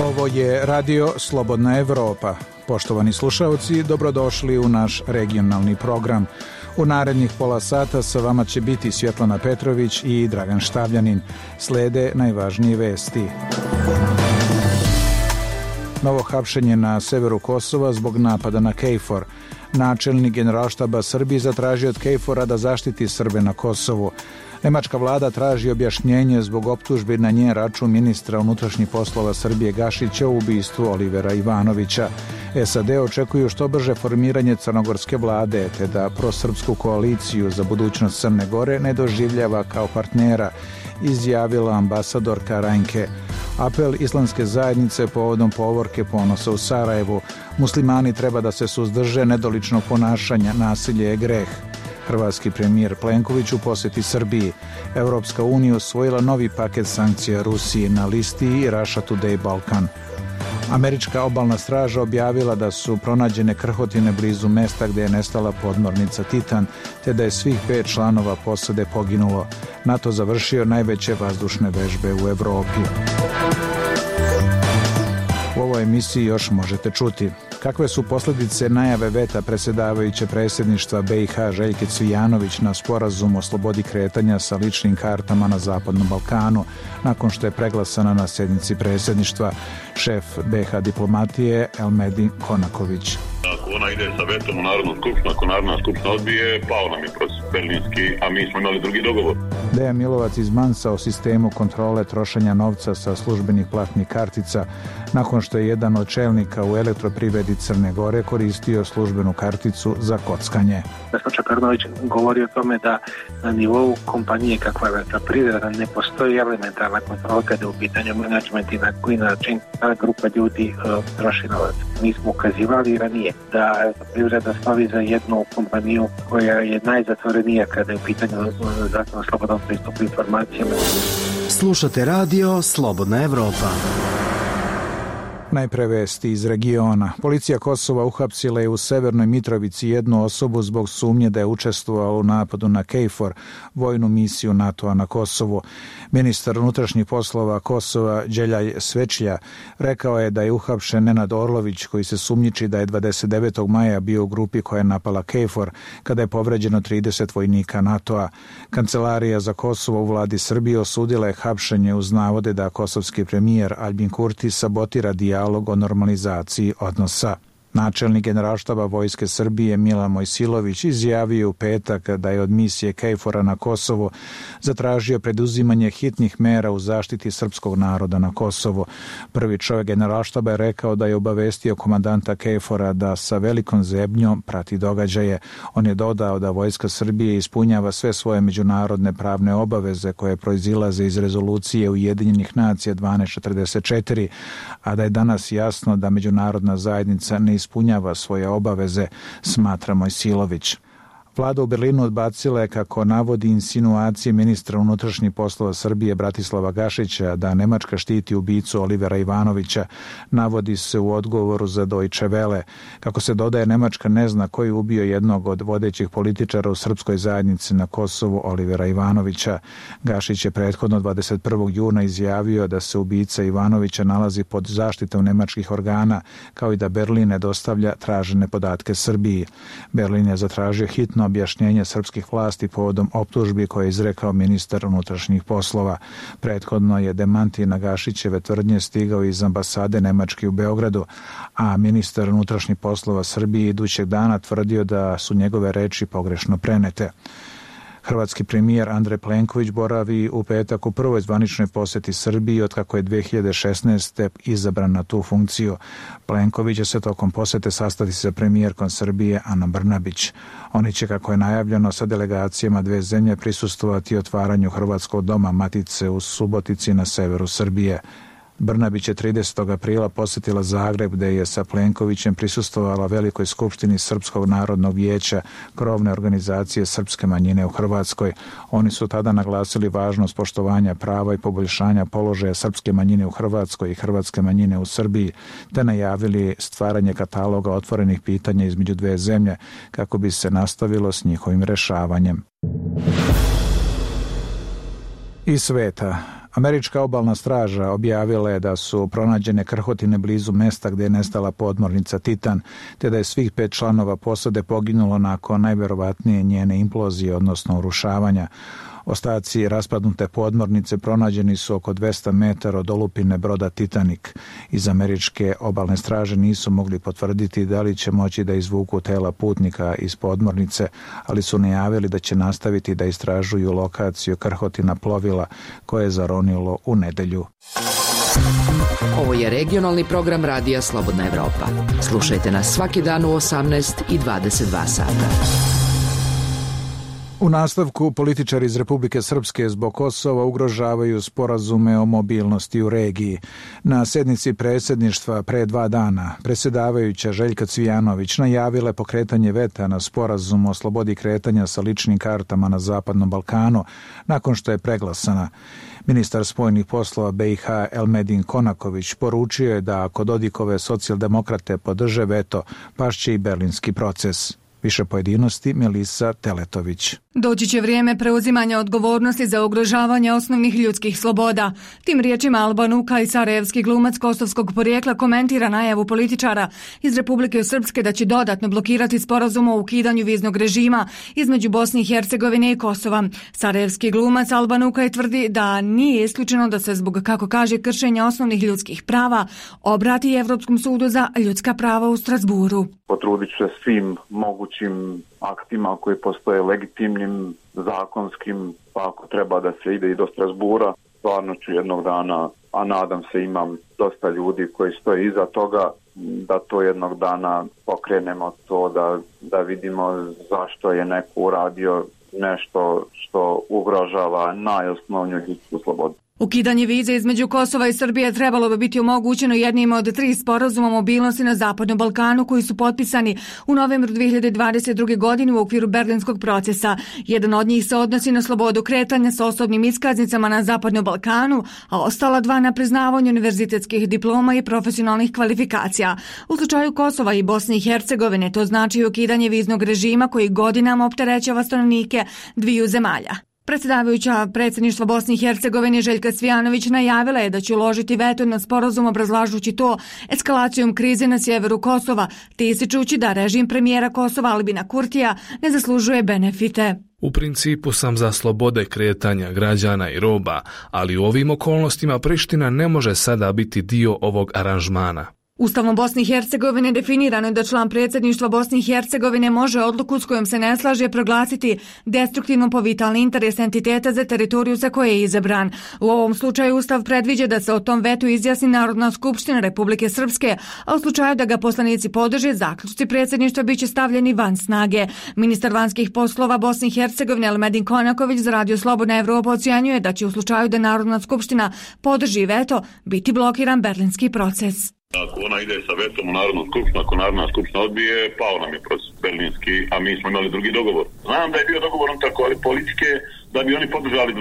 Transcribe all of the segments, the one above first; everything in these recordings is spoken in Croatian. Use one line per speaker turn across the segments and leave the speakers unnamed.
Ovo je Radio Slobodna Evropa. Poštovani slušaoci, dobrodošli u naš regionalni program. U narednih pola sata sa vama će biti Svjetlana Petrović i Dragan Štavljanin. Slede najvažnije vesti. Novo hapšenje na severu Kosova zbog napada na KFOR. Načelnik Generalštaba Srbije zatražio od KFOR-a da zaštiti Srbe na Kosovu. Nemačka vlada traži objašnjenje zbog optužbi na njen račun ministra unutrašnjih poslova Srbije Gašića u ubistvu Olivera Ivanovića. SAD očekuju što brže formiranje crnogorske vlade, te da prosrpsku koaliciju za budućnost Crne Gore ne doživljava kao partnera, izjavila ambasadorka Rajnke. Apel islamske zajednice povodom povorke Ponosa u Sarajevu. Muslimani treba da se suzdrže nedoličnog ponašanja, nasilje je greh. Hrvatski premijer Plenković u posjeti Srbiji. Evropska unija usvojila novi paket sankcija Rusiji na listi Russia Today Balkan. Američka obalna straža objavila da su pronađene krhotine blizu mesta gdje je nestala podmornica Titan, te da je svih 5 članova posade poginulo. NATO završio najveće vazdušne vežbe u Evropi. U ovoj emisiji još možete čuti kakve su posljedice najave veta predsjedavajuće predsjedništva BiH Željke Cvijanović na sporazum o slobodi kretanja sa ličnim kartama na Zapadnom Balkanu nakon što je preglasana na sjednici predsjedništva. Šef BiH diplomatije Elmedin Konaković.
Ako ona ide sa vetom u Narodnu skupštinu, ako Narodna skupština odbije, pao nam je proces berlinski, a mi smo imali drugi dogovor.
Dejan Milovac izmansa o sistemu kontrole trošenja novca sa službenih platnih kartica nakon što je jedan od čelnika u Elektroprivredi Crne Gore koristio službenu karticu za kockanje.
Vesna Čepernović govori o tome da na nivou kompanije kakva je Elektroprivreda ne postoji elementarna kontrola kada je u pitanju menadžment i na koji način ta grupa ljudi troši novac. Mi smo ukazivali i ranije da Elektroprivreda slavi za jednu kompaniju koja je najzatvorenija kada je u pitanju zakon o slobodnom pristupu informacijama.
Slušate radio Slobodna Evropa.
Najpre vesti iz regiona. Policija Kosova uhapsila je u Severnoj Mitrovici jednu osobu zbog sumnje da je učestvovala u napadu na KFOR, vojnu misiju NATO-a na Kosovu. Ministar unutrašnjih poslova Kosova Đeljaj Svečlja rekao je da je uhapšen Nenad Orlović, koji se sumnjiči da je 29. maja bio u grupi koja je napala KFOR kada je povređeno 30 vojnika NATO-a. Kancelarija za Kosovo u vladi Srbije osudila je hapšenje uz navode da kosovski premijer Aljbin Kurti sabotira dijalog o normalizaciji odnosa. Načelnik Generalštaba Vojske Srbije Milan Mojsilović izjavio u petak da je od misije KFOR-a na Kosovu zatražio preduzimanje hitnih mera u zaštiti srpskog naroda na Kosovu. Prvi čovjek Generalštaba je rekao da je obavestio komandanta KFOR-a da sa velikom zebnjom prati događaje. On je dodao da Vojska Srbije ispunjava sve svoje međunarodne pravne obaveze koje proizilaze iz rezolucije Ujedinjenih nacija 1244, a da je danas jasno da međunarodna zajednica ne ispunjava svoje obaveze, smatra Mojsilović. Vlada u Berlinu odbacila je, kako navodi, insinuacije ministra unutrašnjih poslova Srbije Bratislava Gašića da Nemačka štiti ubicu Olivera Ivanovića, navodi se u odgovoru za Deutsche Welle. Kako se dodaje, Nemačka ne zna ko je ubio jednog od vodećih političara u srpskoj zajednici na Kosovu, Olivera Ivanovića. Gašić je prethodno 21. juna izjavio da se ubica Ivanovića nalazi pod zaštitom nemačkih organa, kao i da Berlin ne dostavlja tražene podatke Srbiji. Berlin je zatražio hitno objašnjenje srpskih vlasti povodom optužbi koje je izrekao ministar unutrašnjih poslova. Prethodno je demanti na Gašićeve tvrdnje stigao iz ambasade Nemačke u Beogradu, a ministar unutrašnjih poslova Srbije idućeg dana tvrdio da su njegove reči pogrešno prenete. Hrvatski premijer Andrej Plenković boravi u petak u prvoj zvaničnoj posjeti Srbiji otkako je 2016. izabran na tu funkciju. Plenković će se tokom posjete sastati sa premijerkom Srbije Anom Brnabić. Oni će, kako je najavljeno, sa delegacijama dve zemlje prisustvovati otvaranju Hrvatskog doma Matice u Subotici na severu Srbije. Brnabić je 30. aprila posjetila Zagreb gdje je sa Plenkovićem prisustvovala velikoj skupštini Srpskog narodnog vijeća, krovne organizacije srpske manjine u Hrvatskoj. Oni su tada naglasili važnost poštovanja prava i poboljšanja položaja srpske manjine u Hrvatskoj i hrvatske manjine u Srbiji, te najavili stvaranje kataloga otvorenih pitanja između dve zemlje kako bi se nastavilo s njihovim rješavanjem. Iz sveta. Američka obalna straža objavila je da su pronađene krhotine blizu mesta gdje je nestala podmornica Titan, te da je svih 5 članova posade poginulo nakon najvjerovatnije njene implozije, odnosno urušavanja. Ostaci raspadnute podmornice pronađeni su oko 200 metara od olupine broda Titanic. Iz američke obalne straže nisu mogli potvrditi da li će moći da izvuku tela putnika iz podmornice, ali su najavili da će nastaviti da istražuju lokaciju krhotina plovila koje je zaronilo u nedjelju.
Ovo je regionalni program Radija Slobodna Evropa. Slušajte nas svaki dan u 18 i 22 sata.
U nastavku političari iz Republike Srpske zbog Kosova ugrožavaju sporazume o mobilnosti u regiji. Na sjednici predsjedništva pre 2 dana predsjedavajuća Željka Cvijanović najavila je pokretanje veta na sporazum o slobodi kretanja sa ličnim kartama na Zapadnom Balkanu nakon što je preglasana. Ministar spoljnih poslova BiH Elmedin Konaković poručio je da ako Dodikove socijaldemokrate podrže veto, pašće i berlinski proces. Više pojedinosti Melisa Teletović.
Doći će vrijeme preuzimanja odgovornosti za ugrožavanje osnovnih ljudskih sloboda. Tim riječima Alban Ukaj, sarajevski glumac kosovskog porijekla, komentira najavu političara iz Republike Srpske da će dodatno blokirati sporazum o ukidanju viznog režima između Bosne i Hercegovine i Kosova. Sarajevski glumac Alban Ukaj tvrdi da nije isključeno da se zbog, kako kaže, kršenja osnovnih ljudskih prava obrati Evropskom sudu za ljudska prava u Strasburu.
Potrudit ću se svim mogućim aktima koji postoje legitimnim, zakonskim, pa ako treba da se ide i do Strasbura, stvarno ću jednog dana, a nadam se imam dosta ljudi koji stoje iza toga, da to jednog dana pokrenemo to, da vidimo zašto je neko uradio nešto što ugrožava najosnovniju ljudsku slobodu.
Ukidanje vize između Kosova i Srbije trebalo bi biti omogućeno jednim od 3 sporazuma o mobilnosti na Zapadnom Balkanu koji su potpisani u novembru 2022. godine u okviru berlinskog procesa. Jedan od njih se odnosi na slobodu kretanja sa osobnim iskaznicama na Zapadnom Balkanu, a ostala 2 na priznavanje univerzitetskih diploma i profesionalnih kvalifikacija. U slučaju Kosova i Bosne i Hercegovine to znači ukidanje viznog režima koji godinama opterećava stanovnike dviju zemalja. Predsjedavajuća predsjedništva Bosne i Hercegovine Željka Cvijanović najavila je da će uložiti veto na sporazum obrazlažući to eskalacijom krize na sjeveru Kosova, te ističući da režim premijera Kosova Albina Kurtija ne zaslužuje benefite.
U principu sam za slobode kretanja građana i roba, ali u ovim okolnostima Priština ne može sada biti dio ovog aranžmana.
Ustavom Bosne i Hercegovine definirano je da član predsjedništva Bosne i Hercegovine može odluku s kojom se ne slaže proglasiti destruktivno po vitalni interes entiteta za teritoriju za koje je izabran. U ovom slučaju Ustav predviđa da se o tom vetu izjasni Narodna skupština Republike Srpske, a u slučaju da ga poslanici podrže, zaključci predsjedništva biće stavljeni van snage. Ministar vanjskih poslova Bosne i Hercegovine Elmedin Konaković za Radio Slobodna Evropa ocjenjuje da će u slučaju da Narodna skupština podrži veto biti blokiran berlinski proces.
Ako ona ide sa vetom u Narodnu skupštinu, ako Narodna skupština odbije, pao nam je proces berlinski, a mi smo imali drugi dogovor. Znam da je bio dogovor tako, ali političke da bi oni podržali 2.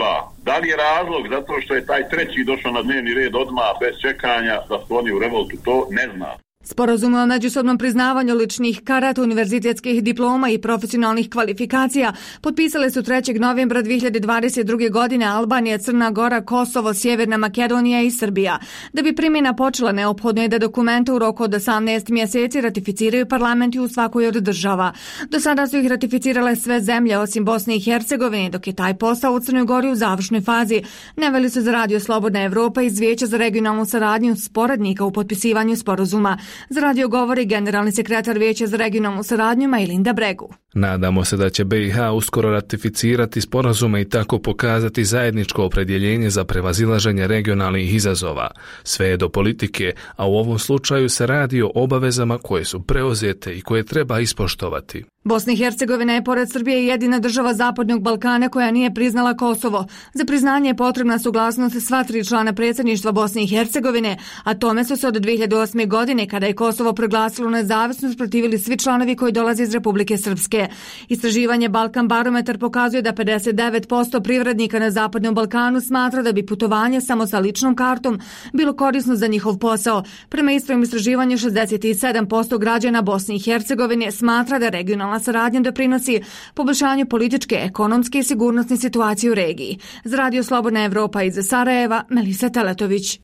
Da li je razlog zato što je taj 3. došao na dnevni red odmah bez čekanja da su oni u revoltu, to ne znam.
Sporazum o međusobnom priznavanju ličnih karata, univerzitetskih diploma i profesionalnih kvalifikacija potpisale su 3. novembra 2022. godine Albanija, Crna Gora, Kosovo, Sjeverna Makedonija i Srbija. Da bi primjena počela, neophodno je da dokumente u roku od 18 mjeseci ratificiraju parlamenti u svakoj od država. Do sada su ih ratificirale sve zemlje osim Bosne i Hercegovine, dok je taj posao u Crnoj Gori u završnoj fazi. Naveli su za Radio Slobodna Evropa iz Vijeća za regionalnu saradnju sporednika u potpisivanju sporazuma. Za radio govori generalni sekretar Vijeća za regionalnu saradnju Majlinda Bregu.
Nadamo se da će BiH uskoro ratificirati sporazume i tako pokazati zajedničko opredjeljenje za prevazilaženje regionalnih izazova. Sve je do politike, a u ovom slučaju se radi o obavezama koje su preuzete i koje treba ispoštovati.
Bosna i Hercegovina je pored Srbije jedina država Zapadnog Balkana koja nije priznala Kosovo. Za priznanje je potrebna suglasnost sva 3 člana predsjedništva Bosne i Hercegovine, a tome su se od 2008. godine, kada je Kosovo proglasilo nezavisnost, protivili svi članovi koji dolaze iz Republike Srpske. Istraživanje Balkan barometar pokazuje da 59% privrednika na Zapadnom Balkanu smatra da bi putovanje samo sa ličnom kartom bilo korisno za njihov posao. Prema istom istraživanju 67% građana Bosne i Hercegovine smatra da regionalna saradnja doprinosi poboljšanju političke, ekonomske i sigurnosne situacije u regiji. Za Radio Slobodna Evropa iz Sarajeva, Melisa Teletović.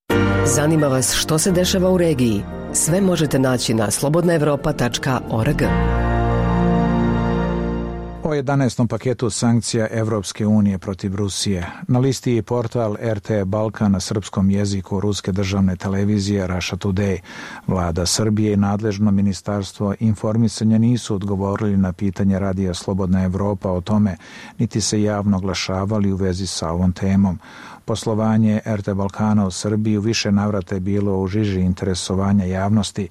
Zanima vas što se dešava u regiji? Sve možete naći na slobodnaevropa.org.
O 11. paketu sankcija Evropske unije protiv Rusije. Na listi je portal RT Balkan na srpskom jeziku ruske državne televizije Russia Today. Vlada Srbije i nadležno ministarstvo informisanja nisu odgovorili na pitanje Radija Slobodna Evropa o tome, niti se javno oglašavali u vezi sa ovom temom. Poslovanje RT Balkana u Srbiji u više navrata je bilo u žiži interesovanja javnosti,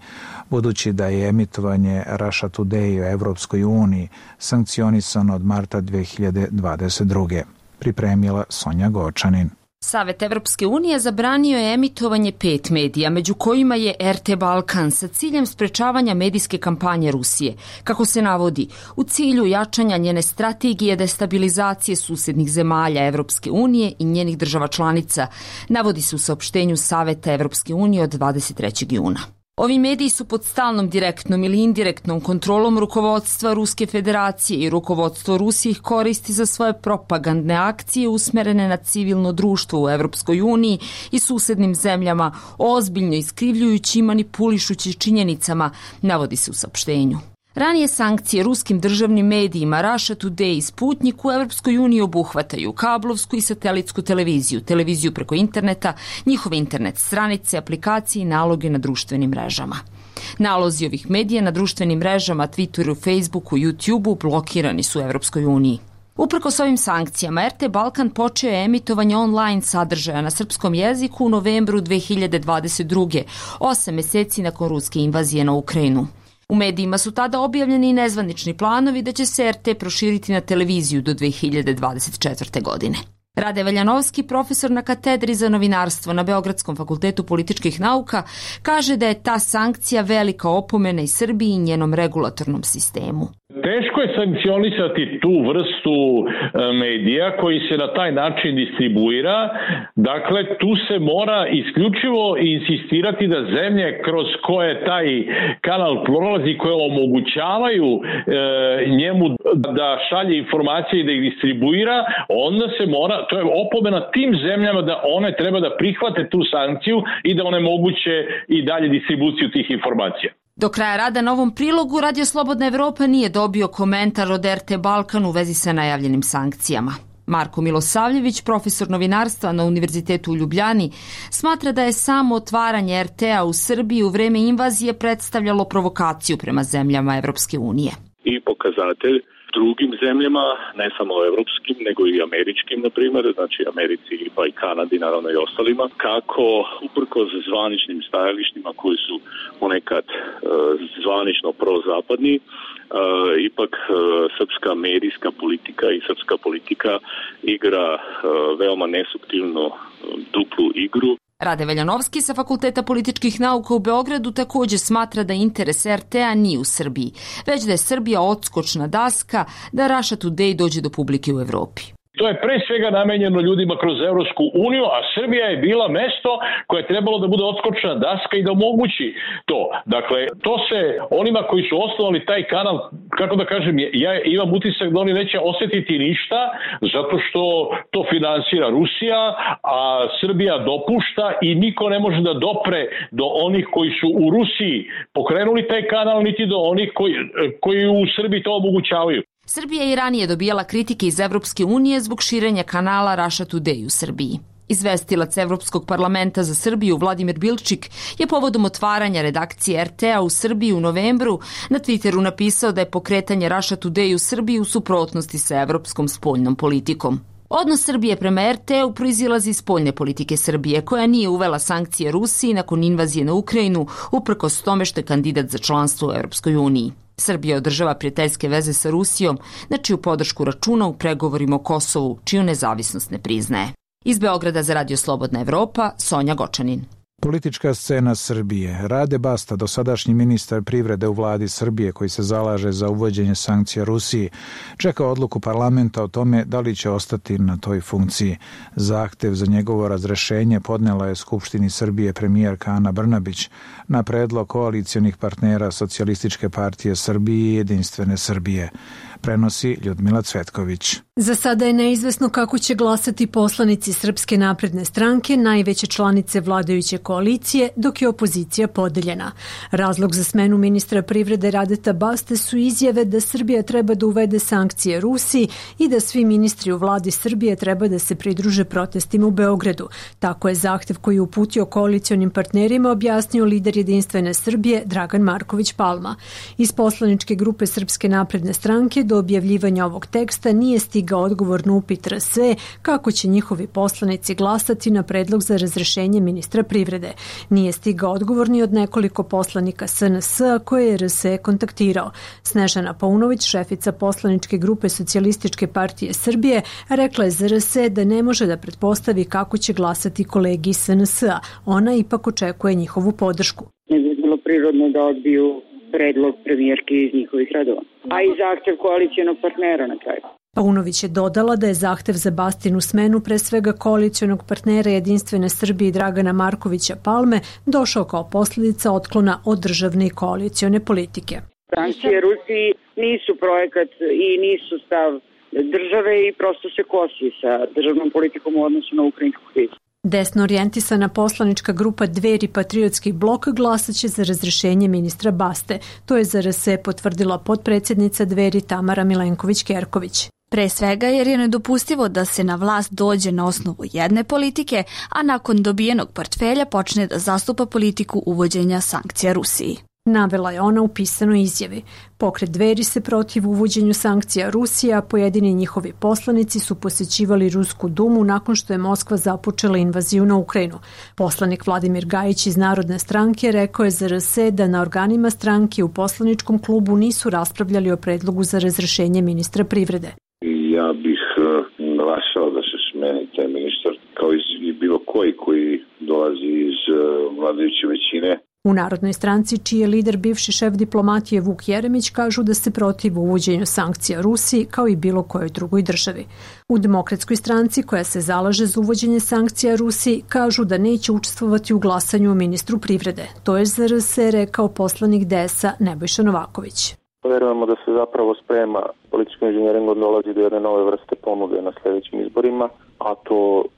budući da je emitovanje Russia Today u Evropskoj uniji sankcionisano od marta 2022. Pripremila Sonja Gočanin.
Savet Evropske unije zabranio je emitovanje 5 medija, među kojima je RT Balkan, sa ciljem sprečavanja medijske kampanje Rusije. Kako se navodi, u cilju jačanja njene strategije destabilizacije susednih zemalja Evropske unije i njenih država članica, navodi se u saopštenju Saveta Evropske unije od 23. juna. Ovi mediji su pod stalnom direktnom ili indirektnom kontrolom rukovodstva Ruske federacije i rukovodstvo Rusije ih koristi za svoje propagandne akcije usmerene na civilno društvo u Evropskoj uniji i susednim zemljama, ozbiljno iskrivljujući i manipulišući činjenicama, navodi se u saopštenju. Ranije sankcije ruskim državnim medijima Russia Today i Sputnik u Evropskoj uniji obuhvataju kablovsku i satelitsku televiziju, televiziju preko interneta, njihove internet stranice, aplikacije i naloge na društvenim mrežama. Nalozi ovih medija na društvenim mrežama, Twitteru, Facebooku, YouTubeu blokirani su u Evropskoj uniji. Uprkos ovim sankcijama, RT Balkan počeo je emitovanje online sadržaja na srpskom jeziku u novembru 2022. 8 meseci nakon ruske invazije na Ukrajinu. U medijima su tada objavljeni i nezvanični planovi da će se RT proširiti na televiziju do 2024. godine. Rade Veljanovski, profesor na katedri za novinarstvo na Beogradskom fakultetu političkih nauka, kaže da je ta sankcija velika opomena i Srbiji i njenom regulatornom sistemu.
Teško je sankcionisati tu vrstu medija koji se na taj način distribuira. Dakle, tu se mora isključivo insistirati da zemlje kroz koje taj kanal prolazi, koje omogućavaju njemu da šalje informacije i da ih distribuira, onda se mora, to je opomena tim zemljama da one treba da prihvate tu sankciju i da onemoguće i dalje distribuciju tih informacija.
Do kraja rada na ovom prilogu Radio Slobodna Evropa nije dobio komentar od RT Balkan u vezi sa najavljenim sankcijama. Marko Milosavljević, profesor novinarstva na Univerzitetu u Ljubljani, smatra da je samo otvaranje RT-a u Srbiji u vreme invazije predstavljalo provokaciju prema zemljama Evropske unije.
I pokazatelj drugim zemljama, ne samo evropskim, nego i američkim, na primjer, znači Americi pa i Kanadi, naravno i ostalima, kako uprkos zvaničnim stajalištima koji su ponekad zvanično prozapadni, ipak srpska medijska politika i srpska politika igra veoma nesuptilno duplu igru.
Rade Veljanovski sa Fakulteta političkih nauka u Beogradu također smatra da interes RT-a nije u Srbiji, već da je Srbija odskočna daska da Russia Today dođe do publike u Evropi.
To je pre svega namenjeno ljudima kroz Evropsku uniju, a Srbija je bila mesto koje je trebalo da bude odskočna daska i da omogući to. Dakle, to se onima koji su osnovali taj kanal, kako da kažem, ja imam utisak da oni neće osjetiti ništa, zato što to finansira Rusija, a Srbija dopušta i niko ne može da dopre do onih koji su u Rusiji pokrenuli taj kanal, niti do onih koji u Srbiji to omogućavaju.
Srbija je i ranije dobijala kritike iz Evropske unije zbog širenja kanala Russia Today u Srbiji. Izvestilac Evropskog parlamenta za Srbiju Vladimir Bilčik je povodom otvaranja redakcije RT-a u Srbiji u novembru na Twitteru napisao da je pokretanje Russia Today u Srbiji u suprotnosti sa evropskom spoljnom politikom. Odnos Srbije prema RT-u proizilazi iz spoljne politike Srbije, koja nije uvela sankcije Rusiji nakon invazije na Ukrajinu, uprkos tome što je kandidat za članstvo u Evropskoj uniji. Srbija održava prijateljske veze sa Rusijom, na čiju podršku računa u pregovorima o Kosovu, čiju nezavisnost ne priznaje. Iz Beograda za Radio Slobodna Evropa, Sonja Gočanin.
Politička scena Srbije. Rade Basta, dosadašnji ministar privrede u vladi Srbije koji se zalaže za uvođenje sankcija Rusiji, čeka odluku parlamenta o tome da li će ostati na toj funkciji. Zahtev za njegovo razrešenje podnela je Skupštini Srbije premijerka Ana Brnabić na predlog koalicionih partnera Socijalističke partije Srbije i Jedinstvene Srbije. Prenosi Ljudmila Cvetković.
Za sada je neizvesno kako će glasati poslanici Srpske napredne stranke, najveće članice vladajuće koalicije, dok je opozicija podeljena. Razlog za smenu ministra privrede Radeta Baste su izjave da Srbija treba da uvede sankcije Rusiji i da svi ministri u vladi Srbije treba da se pridruže protestima u Beogradu. Tako je zahtev koji je uputio koalicionim partnerima objasnio lider Jedinstvene Srbije Dragan Marković Palma. Iz poslaničke grupe Srpske napredne stranke do objavljivanja ovog teksta nije stigao odgovor na upit RS kako će njihovi poslanici glasati na predlog za razrešenje ministra privrede. Nije stigao odgovor ni od nekoliko poslanika SNS koje je RS kontaktirao. Snežana Paunović, šefica poslaničke grupe Socijalističke partije Srbije, rekla je za RS da ne može da pretpostavi kako će glasati kolegi iz SNS-a. Ona ipak očekuje njihovu podršku.
Ne bi bilo prirodno da odbiju predlog premijerke iz njihovih redova, a i zahtev koalicionog partnera na kraju.
Paunović je dodala da je zahtev za Bastinu smenu pre svega koalicionog partnera Jedinstvene Srbije Dragana Markovića Palme došao kao posljedica otklona od državne i koalicione politike.
Sankcije Rusiji nisu projekat i nisu stav države i prosto se kosi sa državnom politikom u odnosu na ukrajinsku krizu.
Desno orijentisana poslanička grupa Dveri Patriotski blok glasaće za razrešenje ministra Baste. To je za RS potvrdila potpredsjednica Dveri Tamara Milenković-Kerković.
Pre svega jer je nedopustivo da se na vlast dođe na osnovu jedne politike, a nakon dobijenog portfelja počne da zastupa politiku uvođenja sankcija Rusiji.
Navela je ona u pisanoj izjavi. Pokret Dveri se protiv uvođenju sankcija Rusije, a pojedini njihovi poslanici su posjećivali Rusku dumu nakon što je Moskva započela invaziju na Ukrajinu. Poslanik Vladimir Gajić iz Narodne stranke rekao je za RS da na organima stranke u poslaničkom klubu nisu raspravljali o predlogu za razrešenje ministra privrede.
Ja bih glasao da se smeni taj ministar kao i bilo koji dolazi iz vladajuće većine.
U Narodnoj stranci, čiji je lider bivši šef diplomatije Vuk Jeremić, kažu da se protiv uvođenju sankcija Rusiji kao i bilo kojoj drugoj državi. U Demokratskoj stranci, koja se zalaže za uvođenje sankcija Rusiji, kažu da neće učestvovati u glasanju o ministru privrede. To je za RS rekao poslanik DS-a Nebojša Novaković.
Verujemo da se zapravo sprema političkim inženjeringom dolazi do jedne nove vrste ponude na sljedećim izborima, a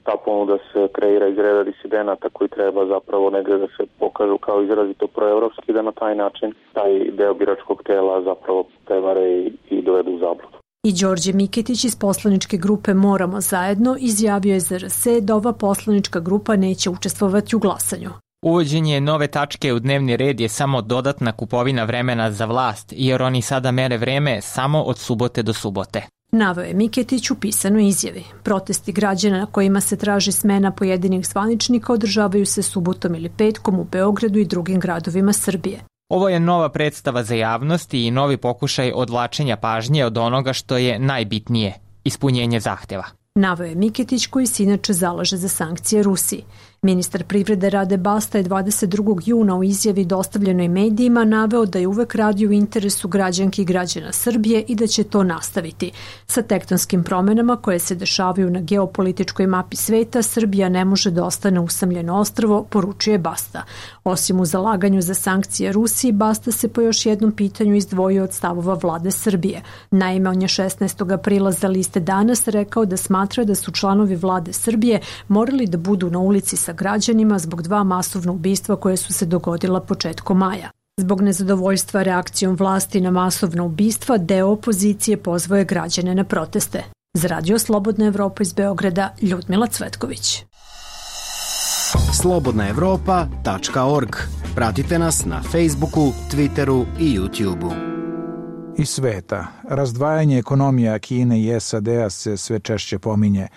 ta ponuda se kreira iz reda disidenata koji treba zapravo negdje da se pokažu kao izrazito proevropski, da na taj način taj deo biračkog tela zapravo prevare i dovedu u zabludu.
I Đorđe Miketić iz poslaničke grupe Moramo zajedno izjavio je za RS da ova poslanička grupa neće učestvovati u glasanju.
Uvođenje nove tačke u dnevni red je samo dodatna kupovina vremena za vlast, jer oni sada mere vreme samo od subote do subote.
Naveo je Miketić u pisanoj izjavi. Protesti građana na kojima se traži smena pojedinih zvaničnika održavaju se subotom ili petkom u Beogradu i drugim gradovima Srbije.
Ovo je nova predstava za javnost i novi pokušaj odvlačenja pažnje od onoga što je najbitnije, ispunjenje zahteva.
Naveo je Miketić koji se inače zalaže za sankcije Rusiji. Ministar privrede Rade Basta je 22. juna u izjavi dostavljenoj medijima naveo da je uvek radio u interesu građanki i građana Srbije i da će to nastaviti. Sa tektonskim promenama koje se dešavaju na geopolitičkoj mapi sveta, Srbija ne može da ostane usamljeno ostrvo, poručuje Basta. Osim u zalaganju za sankcije Rusiji, Basta se po još jednom pitanju izdvojio od stavova vlade Srbije. Naime, on je 16. aprila za liste Danas rekao da smatra da su članovi vlade Srbije morali da budu na ulici sa građanima zbog 2 masovna ubistva koje su se dogodila početkom maja. Zbog nezadovoljstva reakcijom vlasti na masovna ubistva, deo opozicije pozvao je građane na proteste. Za Radio Slobodna Evropa iz Beograda, Ljudmila Cvetković.
slobodnaevropa.org. Pratite nas na Facebooku, Twitteru i YouTubeu.
Iz sveta. Razdvajanje ekonomija Kine i SAD-a se sve češće pominje.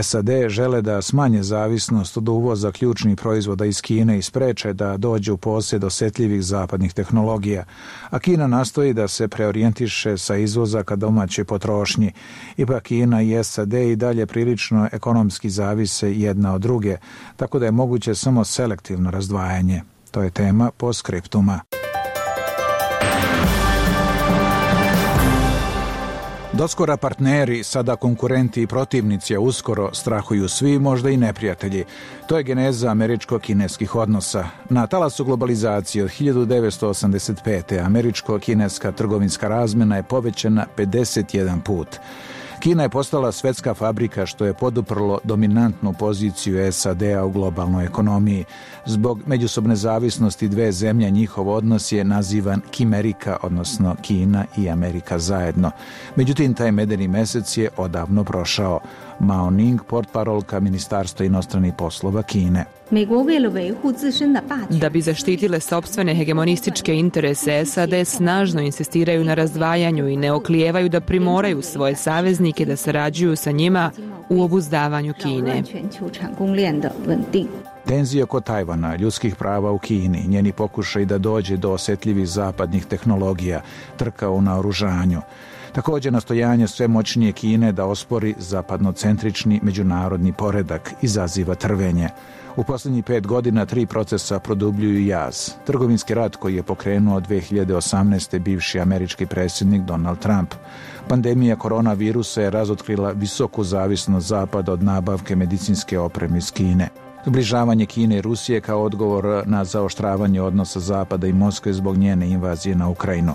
SAD žele da smanje zavisnost od uvoza ključnih proizvoda iz Kine i spreče da dođe u posjed osjetljivih zapadnih tehnologija, a Kina nastoji da se preorijentiše sa izvoza ka domaćoj potrošnji. Ipak Kina i SAD i dalje prilično ekonomski zavise jedna od druge, tako da je moguće samo selektivno razdvajanje. To je tema postskriptuma. Doskora partneri, sada konkurenti i protivnici, a uskoro strahuju svi, možda i neprijatelji. To je geneza američko-kineskih odnosa. Na talasu globalizacije od 1985. američko-kineska trgovinska razmjena je povećana 51 put. Kina je postala svetska fabrika što je poduprlo dominantnu poziciju SAD-a u globalnoj ekonomiji. Zbog međusobne zavisnosti dve zemlje njihov odnos je nazivan Kimerika, odnosno Kina i Amerika zajedno. Međutim, taj medeni mesec je odavno prošao. Mao Ning, portparolka Ministarstva inostranih poslova Kine.
Da bi zaštitile sopstvene hegemonističke interese, SAD snažno insistiraju na razdvajanju i ne oklijevaju da primoraju svoje saveznike da sarađuju sa njima u obuzdavanju Kine.
Tenzije oko Tajvana, ljudskih prava u Kini, njeni pokušaj da dođe do osjetljivih zapadnih tehnologija, trka u naoružanju. Također nastojanje sve moćnije Kine da ospori zapadnocentrični međunarodni poredak izaziva trvenje. U posljednjih 5 godina 3 procesa produbljuju jaz. Trgovinski rat koji je pokrenuo 2018. bivši američki predsjednik Donald Trump. Pandemija koronavirusa je razotkrila visoku zavisnost Zapada od nabavke medicinske opreme iz Kine. Zbližavanje Kine i Rusije kao odgovor na zaoštravanje odnosa Zapada i Moskve zbog njene invazije na Ukrajinu.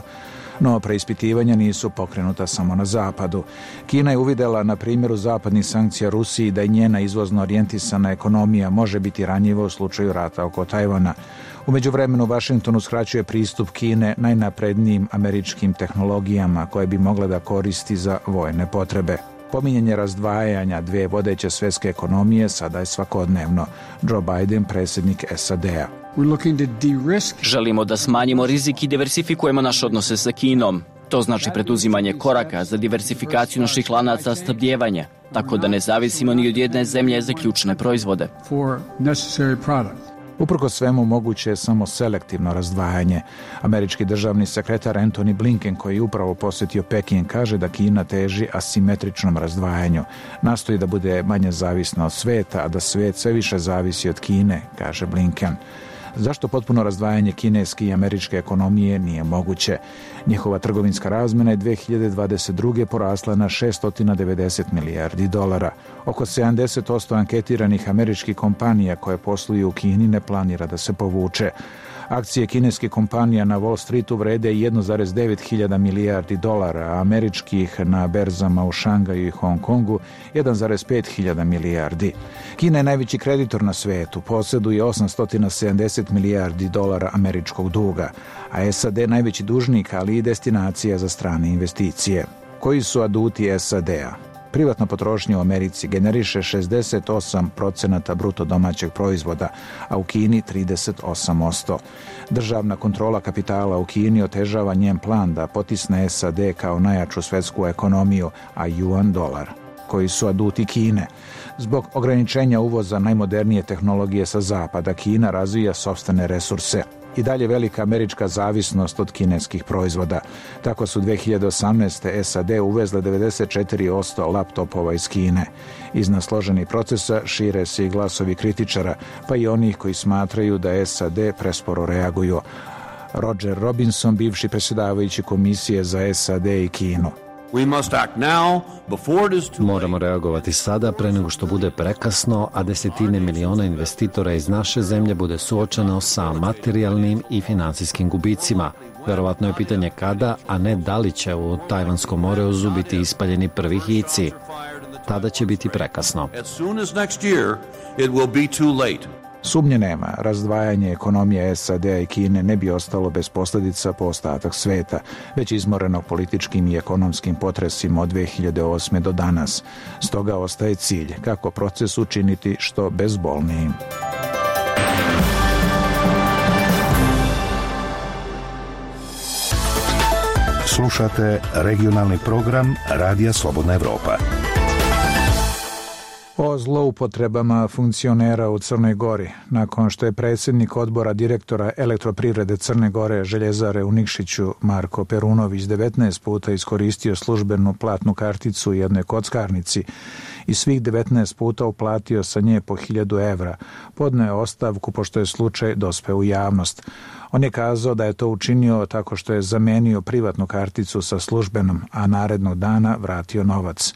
No, preispitivanja nisu pokrenuta samo na Zapadu. Kina je uvidjela na primjeru zapadnih sankcija Rusiji da i njena izvozno orijentisana ekonomija može biti ranjiva u slučaju rata oko Tajvana. U međuvremenu Washington uskraćuje pristup Kine najnaprednijim američkim tehnologijama koje bi mogle da koristi za vojne potrebe. Pominjanje razdvajanja dvije vodeće svjetske ekonomije sada je svakodnevno. Joe Biden, predsjednik SAD-a.
Želimo da smanjimo rizik i diversifikujemo naše odnose sa Kinom. To znači preduzimanje koraka za diversifikaciju naših lanaca snabdijevanja, tako da ne zavisimo ni od jedne zemlje za ključne proizvode.
Uprkos svemu moguće je samo selektivno razdvajanje. Američki državni sekretar Antony Blinken, koji je upravo posjetio Peking, kaže da Kina teži asimetričnom razdvajanju. Nastoji da bude manje zavisna od sveta, a da svet sve više zavisi od Kine, kaže Blinken. Zašto potpuno razdvajanje kineske i američke ekonomije nije moguće? Njihova trgovinska razmjena je 2022. porasla na $690 milijardi. Oko 70% anketiranih američkih kompanija koje posluju u Kini ne planira da se povuče. Akcije kineskih kompanija na Wall Streetu vrede 1,9 hiljada milijardi dolara, a američkih na berzama u Šangaju i Hong Kongu 1,5 hiljada milijardi. Kina je najveći kreditor na svetu, posjeduje 870 milijardi dolara američkog duga, a SAD najveći dužnik, ali i destinacija za strane investicije. Koji su aduti SAD-a? Privatna potrošnja u Americi generiše 68% bruto domaćeg proizvoda, a u Kini 38%. Državna kontrola kapitala u Kini otežava njen plan da potisne SAD kao najjaču svjetsku ekonomiju, a juan dolar. Koji su aduti Kine? Zbog ograničenja uvoza najmodernije tehnologije sa zapada, Kina razvija sopstvene resurse. I dalje velika američka zavisnost od kineskih proizvoda. Tako su 2018. SAD uvezle 94% laptopova iz Kine. Iznad složenih procesa šire se i glasovi kritičara, pa i onih koji smatraju da SAD presporo reaguju. Roger Robinson, bivši predsjedavajući komisije za SAD i Kinu.
Moramo reagovati sada pre nego što bude prekasno, a desetine miliona investitora iz naše zemlje bude suočeno sa materijalnim i financijskim gubicima. Verovatno je pitanje kada, a ne da li će u Tajvanskom moreuzu biti ispaljeni prvi hici. Tada će biti prekasno.
Sumnje nema, razdvajanje ekonomije SAD-a i Kine ne bi ostalo bez posljedica po ostatak sveta, već izmoreno političkim i ekonomskim potresima od 2008. do danas. Stoga ostaje cilj kako proces učiniti što bezbolnijim.
Slušate regionalni program Radija Slobodna Evropa.
O zloupotrebama funkcionera u Crnoj Gori. Nakon što je predsjednik odbora direktora Elektroprivrede Crne Gore Željezare u Nikšiću Marko Perunović 19 puta iskoristio službenu platnu karticu u jednoj kockarnici i svih 19 puta uplatio sa nje po 1000 evra, podneo je ostavku pošto je slučaj dospeo u javnost. On je kazao da je to učinio tako što je zamenio privatnu karticu sa službenom, a narednog dana vratio novac.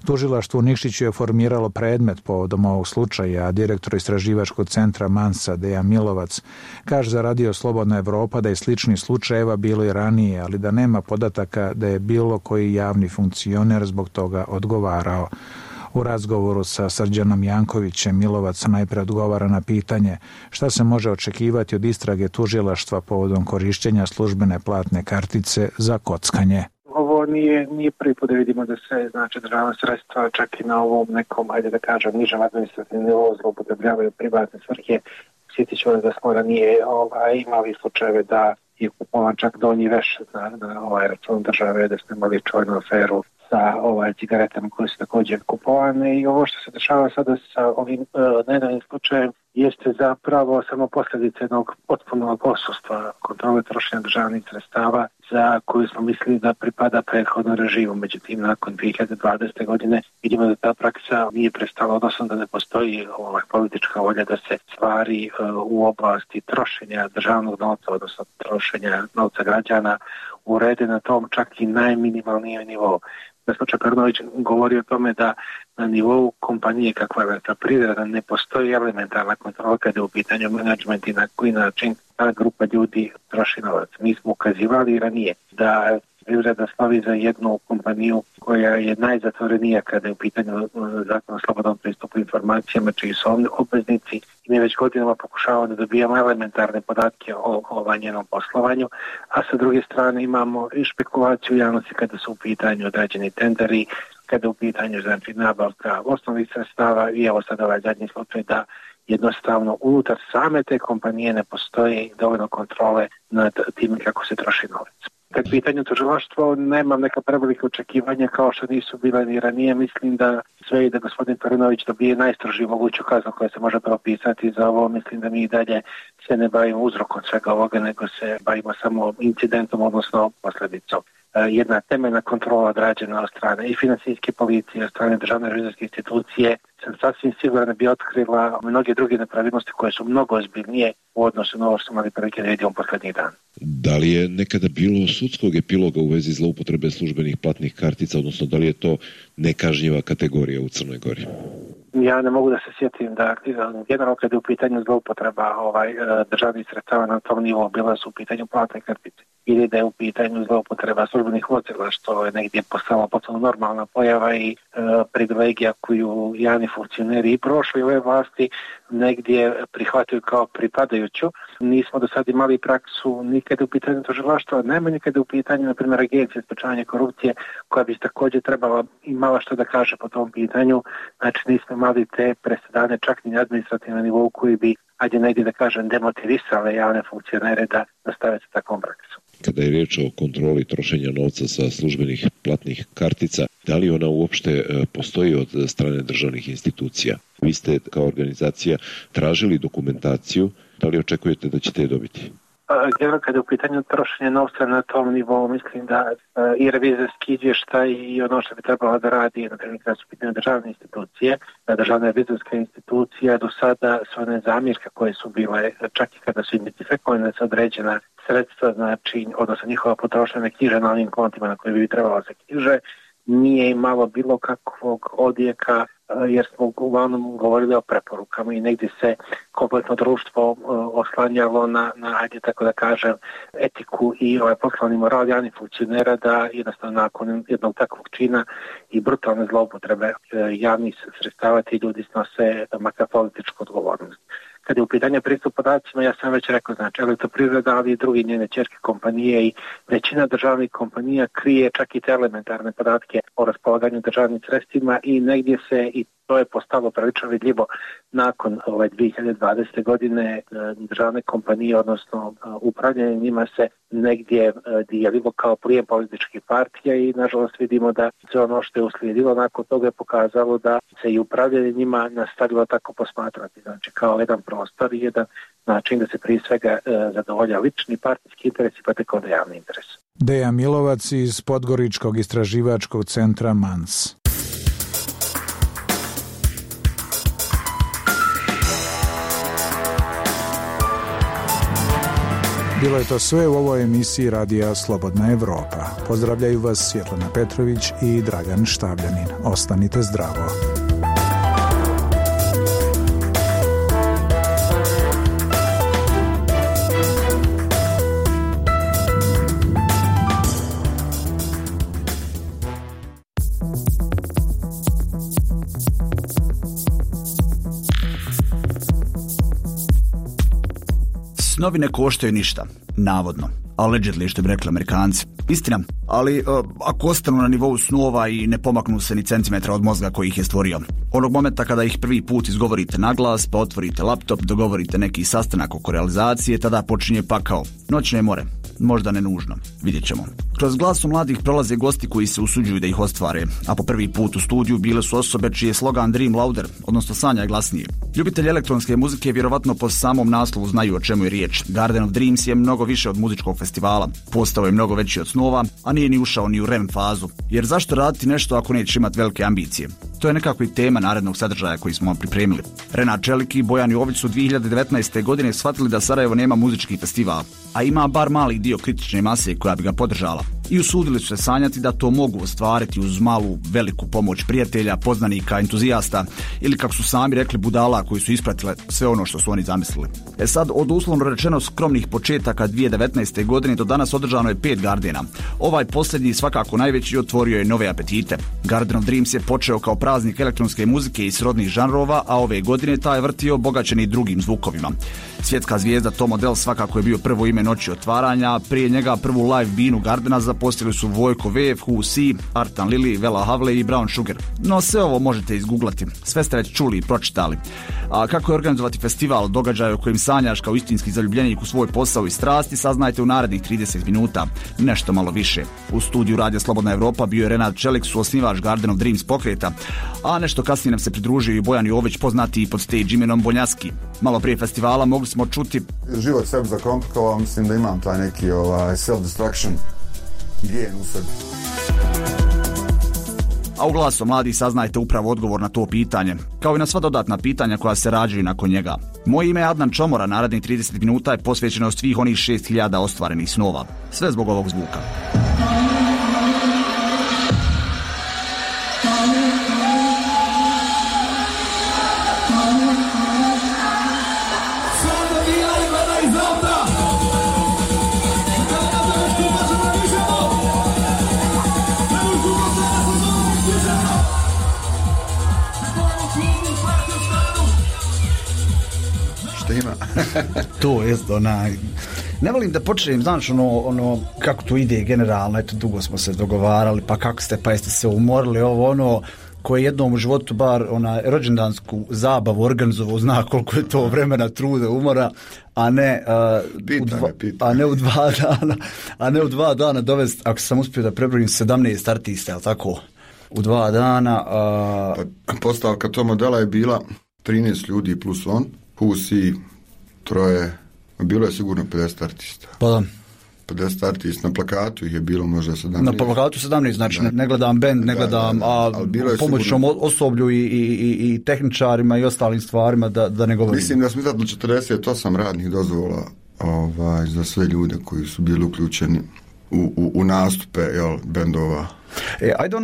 Tužilaštvo u Nikšiću je formiralo predmet povodom ovog slučaja, a direktor istraživačkog centra Mansa Dejan Milovac kaže za Radio Slobodna Evropa da je sličnih slučajeva bilo i ranije, ali da nema podataka da je bilo koji javni funkcioner zbog toga odgovarao. U razgovoru sa Srđanom Jankovićem Milovac najpre odgovara na pitanje šta se može očekivati od istrage tužilaštva povodom korišćenja službene platne kartice za kockanje.
Ovo nije prvi put da vidimo da se državna sredstva čak i na ovom nekom, ajde da kažem, nižem administrativnom nivou zloupotrebljavaju privatne svrhe. Sjetit ću da smo ranije imali slučajeve da je kupovan čak donji veš na račun države, da smo imali čuvenu aferu sa cigaretama koje su također kupovane i ovo što se dešava sada sa ovim nedavnim slučajem jeste zapravo samo posljedica jednog potpunog odsustva kontrole trošenja državnih sredstava za koju smo mislili da pripada prethodnom režimu. Međutim, nakon 2020. godine vidimo da ta praksa nije prestala, odnosno da ne postoji politička volja da se stvari u oblasti trošenja državnog novca, odnosno trošenja novca građana urede na tom čak i najminimalnijem nivou. Gospođa Perunović govori o tome da na nivou kompanije kakva je Elektroprivreda ne postoji elementarna kontrola kada je u pitanju menadžment i na koji način ta grupa ljudi troši novac. Mi smo ukazivali ranije da privreda slovi za jednu kompaniju koja je najzatvorenija kada je u pitanju zakon o slobodnom pristupu informacijama čiji su obveznici i mi već godinama pokušavamo da dobijamo elementarne podatke o njenom poslovanju, a sa druge strane imamo i špekulaciju u javnosti kada su u pitanju određeni tenderi, kada je u pitanju nabavka osnovnih sredstava i evo sad ovaj zadnji slučaj da jednostavno unutar same te kompanije ne postoji dovoljno kontrole nad tim kako se troši novac. Kad pitanju tužilaštvo, nemam neka prevelika očekivanja kao što nisu bile ni ranije. Mislim da sve i da gospodin Perunović dobije najstrožiju moguću kaznu koja se može propisati za ovo. Mislim da mi i dalje se ne bavimo uzrokom svega ovoga, nego se bavimo samo incidentom, odnosno posljedicom. Jedna temeljna kontrola odrađena od strane i financijske policije, od strane državne revizorske institucije, sam sasvim sigurno bi otkrila mnoge druge nepravilnosti koje su mnogo ozbiljnije u odnosu na ovo što imali prilike da vidimo posljednjih dana.
Da li je nekada bilo sudskog epiloga u vezi zloupotrebe službenih platnih kartica, odnosno da li je to nekažnjiva kategorija u Crnoj Gori?
Ja ne mogu da se sjetim da generalno kada je u pitanju zloupotreba državnih sredstava na tom nivou bila su u pitanju platne kartice ili da je u pitanju zloupotreba službenih vozila, što je negdje postala potpuno normalna pojava i privilegija koju javni funkcioneri i prošli ove vlasti negdje prihvataju kao pripadajuću. Nismo do sad imali praksu nikada u pitanju tužilaštva, najmanje kada u pitanju, na primjer, Agencije sprečavanja korupcije, koja bi također trebala imala što da kaže po tom pitanju. Znači nismo imali te presedane čak ni administrativno nivou koji bi, ajde negdje da kažem, demotivisale javne funkcionere da nastave sa takvom praksom.
Kada je riječ o kontroli trošenja novca sa službenih platnih kartica, da li ona uopšte postoji od strane državnih institucija? Vi ste kao organizacija tražili dokumentaciju, da li očekujete da ćete je dobiti?
Kada je u pitanju trošenja novca na tom nivou, mislim da i revizorski izvještaj i ono što bi trebalo da radi, na primjer, kada su u pitanju državne institucije, državna revizorska institucija do sada sve one zamjerke koje su bile, čak i kada su identifikovane sa određena sredstva, znači, odnosno njihova potrošnja ne knjiže na onim kontima na koje bi trebalo se knjiže, nije imalo bilo kakvog odjeka jer smo uglavnom govorili o preporukama i negdje se kompletno društvo oslanjalo na ajde tako da kažem, etiku i poslovni moral javnih funkcionera da jednostavno nakon jednog takvog čina i brutalne zloupotrebe javnih sredstava ti ljudi snose makar političku odgovornost. Kad je u pitanju pristup podacima, ja sam već rekao, znači Elektroprivreda, ali i drugi njene ćerke kompanije i većina državnih kompanija krije čak i te elementarne podatke o raspolaganju državnim sredstvima i negdje se i To je postalo prilično vidljivo nakon 2020. godine. Državne kompanije, odnosno upravljanje njima se negdje dijelilo kao plijen političkih partija i nažalost vidimo da sve ono što je uslijedilo nakon toga je pokazalo da se i upravljanje njima nastavilo tako posmatrati. Znači kao jedan prostor i jedan način da se prije svega zadovolja lični partijski interesi pa tek onda javni interes.
Deja Milovac iz Podgoričkog istraživačkog centra MANS. Bilo je to sve u ovoj emisiji Radija Slobodna Evropa. Pozdravljaju vas Svjetlana Petrović i Dragan Štavljanin. Ostanite zdravo.
Snovi ne koštaju ništa, navodno. Allegedly, što bi rekli Amerikanci. Istina, ali ako ostanu na nivou snova i ne pomaknu se ni centimetra od mozga koji ih je stvorio. Onog momenta kada ih prvi put izgovorite na glas, pa otvorite laptop, dogovorite neki sastanak oko realizacije, tada počinje pakao. Noćne more. Možda ne nužno. Vidjet ćemo. Kroz glasu mladih prolaze gosti koji se usuđuju da ih ostvare, a po prvi put u studiju bile su osobe čiji je slogan Dream Louder, odnosno sanjaj glasnije. Ljubitelji elektronske muzike vjerovatno po samom naslovu znaju o čemu je riječ. Garden of Dreams je mnogo više od muzičkog festivala. Postao je mnogo veći od snova, a nije ni ušao ni u REM fazu. Jer zašto raditi nešto ako neće imati velike ambicije? To je nekako i tema narednog sadržaja koji smo vam pripremili. Renat Čelik i Bojan Jović su 2019. godine shvatili da Sarajevo nema muzički festival, a ima bar mali dio kritične mase koja bi ga podržala. I usudili su se sanjati da to mogu ostvariti uz malu, veliku pomoć prijatelja, poznanika, entuzijasta ili kako su sami rekli budala koji su ispratile sve ono što su oni zamislili. Sad, od uslovno rečeno skromnih početaka 2019. godine do danas održano je 5 Gardena. Ovaj posljednji, svakako najveći, otvorio je nove apetite. Garden of Dreams je počeo kao praznik elektronske muzike i srodnih žanrova, a ove godine taj vrtio obogaćeni drugim zvukovima. Svjetska zvijezda Tom Odell svakako je bio prvo ime noći otvaranja, prije njega prvu live binu Gardena zaposlili su Vojko Vev, Who See, Artan Lili, Vela Havle i Brown Sugar. No sve ovo možete izgooglati, sve ste već čuli i pročitali. A kako je organizovati festival, događaj o kojim sanjaš kao istinski zaljubljenik u svoj posao i strasti, saznajte u narednih 30 minuta, nešto malo više. U studiju Radija Slobodna Evropa bio je Renat Čelik, suosnivač Garden of Dreams pokreta, a nešto kasnije nam se pridružio i Bojan Jović, poznati i pod stage imenom Bonjaski. Malo prije festivala mogli smo čuti:
život sebi zakomplikovao, mislim da imam taj neki self-destruction gen u sebi.
A u Glasu mladih saznajte upravo odgovor na to pitanje, kao i na sva dodatna pitanja koja se rađaju nakon njega. Moje ime je Adnan Čomora, narednih 30 minuta je posvećeno svih onih 6000 ostvarenih snova. Sve zbog ovog zvuka. To je ne volim da počnem, znaš, ono kako to ide generalno, eto dugo smo se dogovarali, pa kako ste, pa jeste se umorili, koje jednom u životu bar rođendansku zabavu organizovao, zna koliko je to vremena, truda, umora, a ne u 2 dana dovesti, ako sam uspio da prebrojim 17 artista, jel tako, u 2 dana.
Postavka tog modela je bila 13 ljudi plus on, Who See, 3, bilo je sigurno 50 artista.
Pa da.
50 artista, na plakatu ih je bilo možda 17.
Na plakatu 17, znači da. Ne gledam band, ne gledam pomoćnom osoblju i tehničarima i ostalim stvarima, da ne govorim.
Mislim da smo izdatno 48 radnih dozvola za sve ljude koji su bili uključeni u nastupe bendova.
Ajde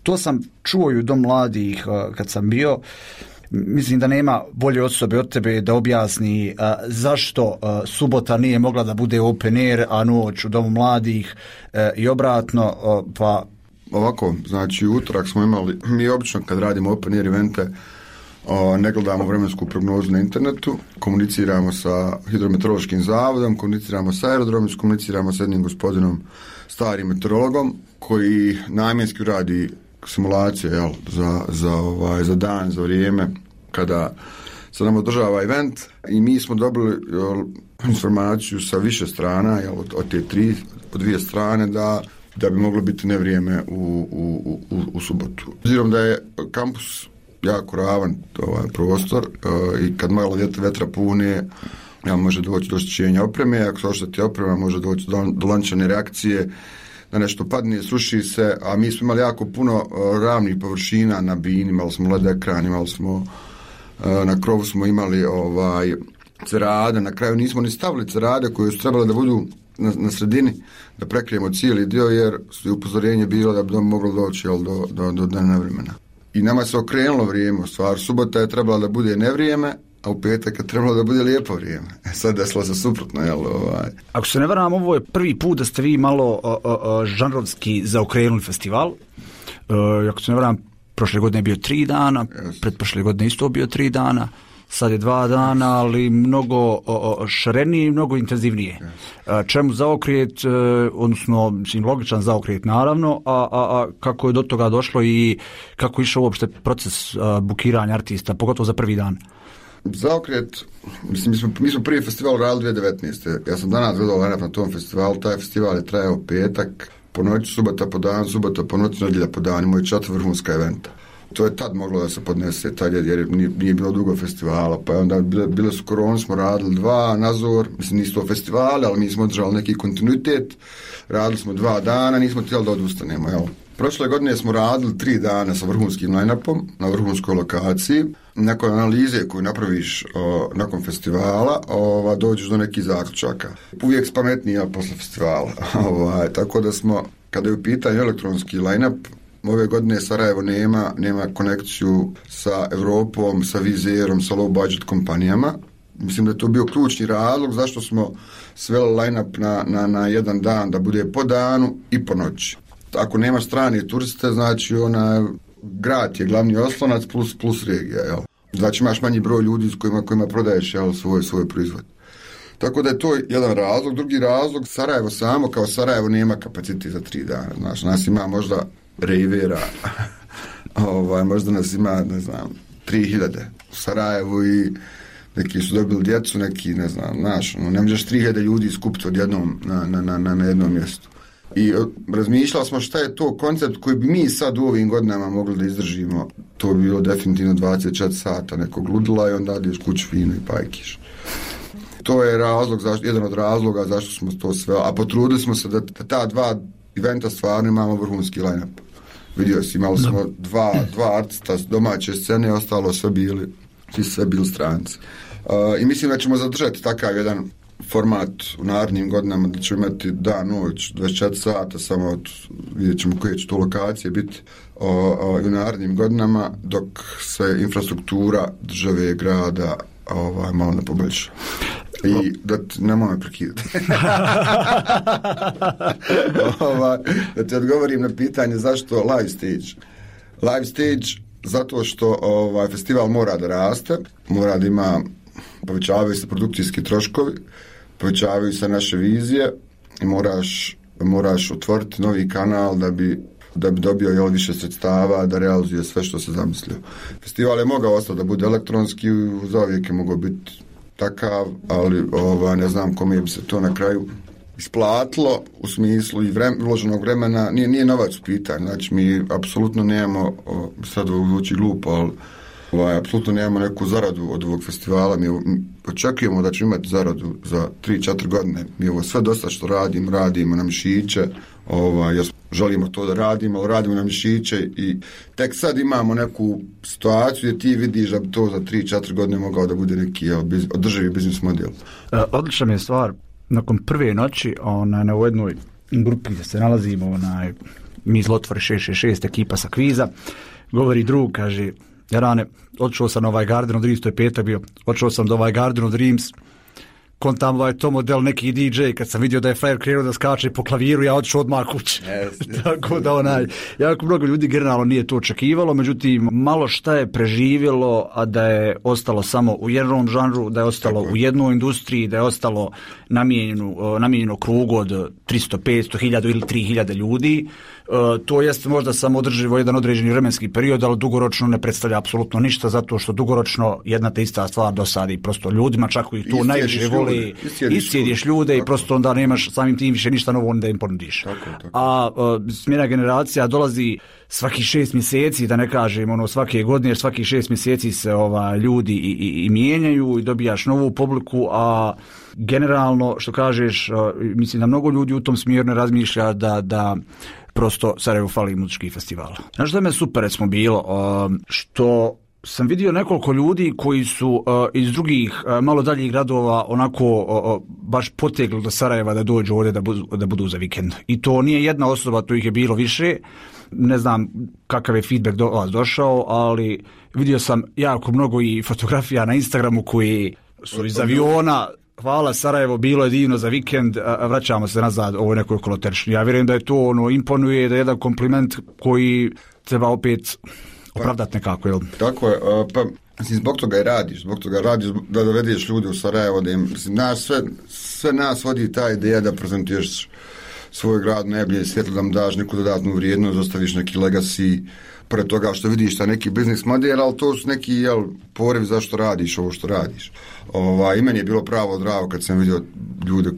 to sam čuo i u Dom mladih kad sam bio. Mislim da nema bolje osobe od tebe da objasni zašto subota nije mogla da bude open air, a noć u Domu mladih i obratno, pa...
Ovako, znači utorak smo imali, mi obično kad radimo open air evente ne gledamo vremensku prognozu na internetu, komuniciramo sa hidrometeorološkim zavodom, komuniciramo sa aerodromom, komuniciramo sa jednim gospodinom starim meteorologom koji namjenski radi simulacije, jel, za dan, za vrijeme kada se nam održava event i mi smo dobili informaciju sa više strana, jel, od te dvije strane da bi moglo biti nevrijeme u subotu. Obzirom da je kampus jako ravan prostor i kad malo vetra pune, može doći do oštećenja opreme, ako se ošteti oprema može doći do lančane reakcije, da nešto padne, sruši se, a mi smo imali jako puno ravnih površina na bini, imali smo led ekran, imali smo na krovu smo imali cerade, na kraju nismo ni stavili cerade koje su trebale da budu na sredini, da prekrijemo cijeli dio jer je upozorenje bilo da bi moglo doći do dana vremena. I nama se okrenulo vrijeme, u stvari subota je trebala da bude nevrijeme, a u petak je trebalo da bude lijepo vrijeme. Sad desilo se suprotno, jel?
Ako se ne varam, ovo je prvi put da ste vi malo žanrovski zaokrenuli festival. Ako se ne varam, prošle godine je bio 3 dana, pretprošle godine isto bio 3 dana, sad je 2 dana, ali mnogo šarenije i mnogo intenzivnije. Čemu zaokret, odnosno logičan zaokret naravno, a kako je do toga došlo i kako je išao uopšte proces bukiranja artista, pogotovo za prvi dan?
Zaokret, mislim, mi smo prvi festival radili 2019. Ja sam danas gledao na tom festivalu, taj festival je trajao petak, po noći, subota po dan, subota po noći, nedjelja po dan, imao je 4 vrhunska eventa. To je tad moglo da se podnese, tad jer nije bilo dugo festivala, pa onda bile su korone, smo radili 2, nazor, mislim nisu to festivali, ali mi smo održali neki kontinuitet, radili smo 2 dana, nismo htjeli da odustanemo, jel? Prošle godine smo radili 3 dana sa vrhunskim line-upom na vrhunskoj lokaciji. Nakon analize koju napraviš nakon festivala, dođeš do nekih zaključaka. Uvijek spametnija posle festivala. Tako da smo, kada je u pitanju elektronski line-up, ove godine Sarajevo nema konekciju sa Europom, sa Vizerom, sa low budget kompanijama. Mislim da je to bio ključni razlog zašto smo sveli line-up na jedan dan da bude po danu i po noći. Ako nema strane turiste, znači grad je glavni oslonac plus regija, jel? Znači imaš manji broj ljudi s kojima prodaješ, jel, svoj proizvod. Tako da je to jedan razlog. Drugi razlog, Sarajevo samo kao Sarajevo nema kapacitet za 3 dana. Znači, nas ima možda rejvera, možda nas ima, ne znam, 3000 u Sarajevu i neki su dobili djecu, neki, ne znam, ne možeš 3000 ljudi skupiti odjednom na jednom mjestu. I razmišljali smo šta je to koncept koji bi mi sad u ovim godinama mogli da izdržimo. To bi bilo definitivno 24 sata nekog ludila i onda ideš kući fino i pajkiš. To je jedan od razloga zašto smo to sve, a potrudili smo se da ta 2 eventa stvarno imamo vrhunski line-up. Vidio si, imali smo dva artista domaće scene, ostalo sve bili stranci. I mislim da ćemo zadržati takav jedan format u narednim godinama, da ćemo imati dan, noć, 24 sata, samo vidjet ćemo koje će to lokacije biti u narednim godinama, dok se infrastruktura države, grada malo ne poboljša. I nemoj me prekidati. Da ti odgovorim na pitanje zašto live stage. Live stage zato što festival mora da raste, mora da ima, povećavaju se produkcijski troškovi, povećavaju se naše vizije i moraš otvoriti novi kanal da bi dobio više sredstava, da realizuje sve što se zamislio. Festival je mogao ostati da bude elektronski, zauvijek je mogao biti takav, ali ne znam kome bi se to na kraju isplatilo u smislu i uloženog vremena. Nije novac u pitanju, znači mi apsolutno nemamo, sad ovo zvuči glupo, ali apsolutno nemamo neku zaradu od ovog festivala. Mi očekujemo da ćemo imati zaradu za 3-4 godine. Mi ovo sve dosta što radimo na mišiće, jer želimo to da radimo, ali radimo na mišiće i tek sad imamo neku situaciju gdje ti vidiš da bi to za 3-4 godine mogao da bude neki održivi biznis model.
Odlična mi je stvar, nakon prve noći na jednoj grupi gdje se nalazimo, mi Zlotvori 666, ekipa sa kviza, govori drug, kaže: Jarane, odšao sam na Garden of Dreams, to je petak bio, odšao sam do Garden of Dreams, kontam to model neki DJ, kad sam vidio da je frajer krenuo da skače po klaviru, ja odšao odmah kući. Tako da jako mnogo ljudi generalno nije to očekivalo, međutim malo šta je preživjelo, a da je ostalo samo u jednom žanru, da je ostalo u jednoj industriji, da je ostalo namijenjeno krugu od 300, 500, 1000 ili 3000 ljudi. To jest možda samo održivo jedan određeni vremenski period, ali dugoročno ne predstavlja apsolutno ništa, zato što dugoročno jedna te ista stvar dosadi prosto ljudima, čak koji to najviše voli, iscijediš ljude i prosto onda nemaš samim tim više ništa novo da im ponudiš. A smjena generacija dolazi svaki 6 mjeseci, da ne kažem svake godine, jer svaki 6 mjeseci se ljudi i mijenjaju i dobijaš novu publiku, a generalno, što kažeš, mislim da mnogo ljudi u tom smjeru ne razmišlja da prosto Sarajevo fali muzičkih festivala. Znaš što me super recimo bilo, što sam vidio nekoliko ljudi koji su iz drugih malo daljih gradova onako baš potegli do Sarajeva da dođu ovdje da budu za vikend. I to nije jedna osoba, to ih je bilo više. Ne znam kakav je feedback do vas došao, ali vidio sam jako mnogo i fotografija na Instagramu koji su iz aviona. Hvala Sarajevo, bilo je divno za vikend, vraćamo se nazad ovoj nekoj koloteršnji. Ja vjerujem da je to imponuje, da je jedan kompliment koji treba opet opravdati nekako, jel?
Tako je, pa zbog toga i radiš da dovedeš ljude u Sarajevo, da im, sve nas vodi ta ideja da prezentuješ svoj grad najbolje svjetlo, da mu daš neku dodatnu vrijednost, ostaviš neki legacy, pored toga što vidiš ta neki biznis model, ali to su neki poriv zašto radiš ovo što radiš. I meni je bilo pravo drago kad sam vidio ljude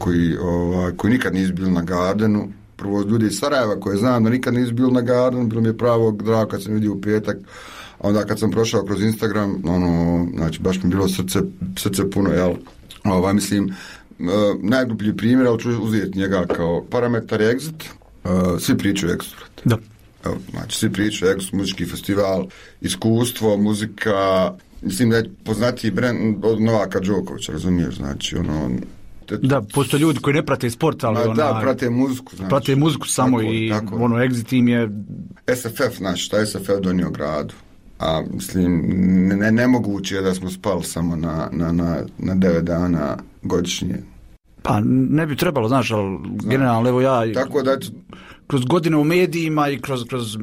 koji nikad nisu bili na Gardenu, prvo ljudi iz Sarajeva koje znam da nikad nisu bili na Gardenu, bilo mi je pravo drago kad sam vidio u petak, a onda kad sam prošao kroz Instagram, znači baš mi je bilo srce puno, jel? Mislim, najgluplji primjer, ali ću uzeti njega kao parametar Exit, svi pričaju Exit.
Da.
Znači, svi pričaju Exit, muzički festival, iskustvo, muzika, mislim da je poznatiji brand od Novaka Đokovića, razumiješ, znači,
Da, postoje ljudi koji ne prate sport, ali
prate muziku. Znači,
prate muziku samo tako, Exit im je...
SFF, znači, šta je SFF donio gradu? A mislim, nemoguće je da smo spali samo na 9 dana godišnje.
Pa ne bi trebalo, znaš, ali generalno, evo ja...
Tako da...
Kroz godine u medijima i kroz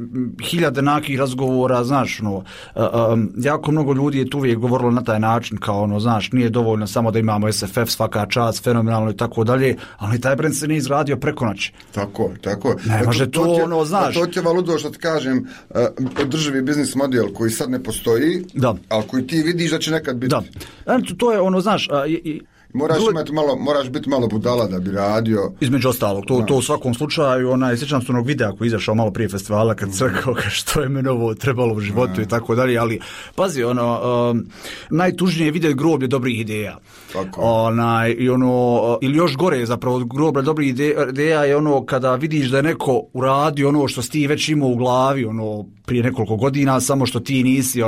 hiljade nakih razgovora, znaš, jako mnogo ljudi je tu uvijek govorilo na taj način, kao, znaš, nije dovoljno samo da imamo SFF, svaka čast, fenomenalno i tako dalje, ali taj brend se nije izradio preko noći.
Tako.
Ne može to, znaš.
To ti valudo što ti kažem, održivi biznis model koji sad ne postoji, ali koji ti vidiš da će nekad biti.
Da, to je znaš...
Moraš biti malo budala da bi radio.
Između ostalog, to u svakom slučaju, sjećam se onog videa koji je izašao malo prije festivala kad se rekao što je meni ovo trebalo u životu i tako dalje, ali pazi, najtužnije je vidjeti groblje dobrih ideja. Ili još gore zapravo od groblja dobrih ideja je kada vidiš da je neko uradio ono što si ti već imao u glavi prije nekoliko godina, samo što ti nisi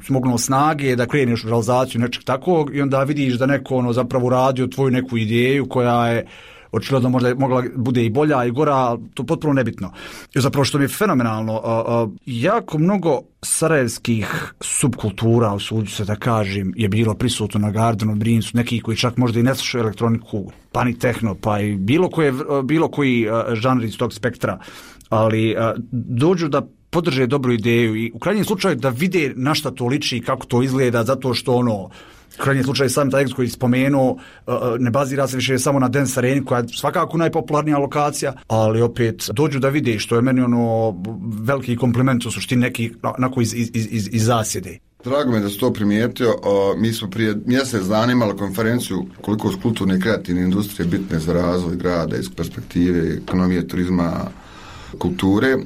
smognuo snage da kreneš u realizaciju nečeg takvog i onda vidiš da neko zapravo uradio tvoju neku ideju koja je očigledno možda mogla bude i bolja i gora, to potpuno nebitno. I zapravo što mi je fenomenalno, jako mnogo sarajevskih subkultura, usuđu se da kažem, je bilo prisutno na Gardenu, Brinsu, neki koji čak možda i ne slušaju elektroniku, pa ni tehno, pa i bilo koji žanr iz tog spektra, ali dođu da podrže dobru ideju i u krajnjem slučaju da vide na šta to liči i kako to izgleda, zato što u krajnjem slučaju sam taj Exit koji spomenuo ne bazira se više samo na Dance Areni koja je svakako najpopularnija lokacija, ali opet dođu da vide, što je meni veliki kompliment u suštini neki onako iz zasjede.
Drago me da si to primijetio. Mi smo prije mjesec dana imali konferenciju koliko su kulturne i kreativne industrije bitne za razvoj grada iz perspektive ekonomije, turizma, kulture.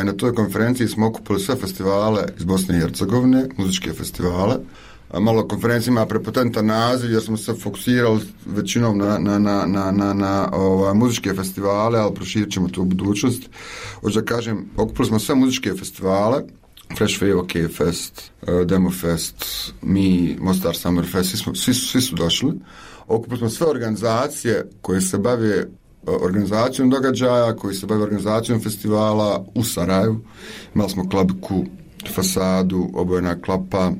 Na toj konferenciji smo okupili sve festivale iz Bosne i Hercegovine, muzičke festivale. Malo konferencija ima prepotentan naziv jer smo se fokusirali većinom na muzičke festivale, ali proširit ćemo to u budućnosti. Hoću da kažem, okupili smo sve muzičke festivale, Fresh Fave, K-Fest, Demo Fest, mi, Mostar Summer Fest, svi su došli. Okupili smo sve organizacije koje se bave organizacijom događaja, koji se bave organizacijom festivala u Sarajevu. Imali smo Klabiku, Fasadu, Obojena klapa,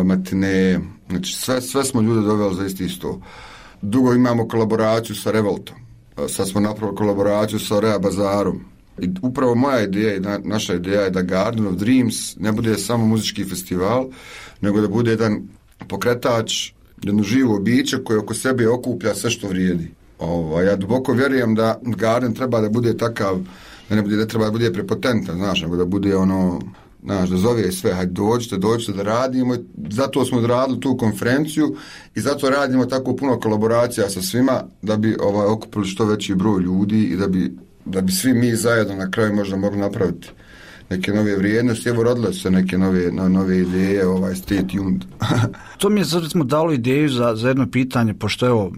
Matine, znači sve smo ljude doveli za isti sto. Dugo imamo kolaboraciju sa Revoltom, sad smo napravili kolaboraciju sa Rea Bazarom i upravo moja ideja i naša ideja je da Garden of Dreams ne bude samo muzički festival, nego da bude jedan pokretač, jedno živo biće koje oko sebe okuplja sve što vrijedi. Ja duboko vjerujem da Garden treba da bude takav ne treba da bude prepotentan, znaš, nego da bude ono, znaš, da zove sve, hajde dođite da radimo, zato smo odradili tu konferenciju i zato radimo tako puno kolaboracija sa svima da bi okupili što veći broj ljudi i da bi svi mi zajedno na kraju možda mogli napraviti neke nove vrijednosti. Evo, rodile su se neke nove ideje, stay tuned.
To mi je sad recimo dalo ideju za jedno pitanje, pošto evo,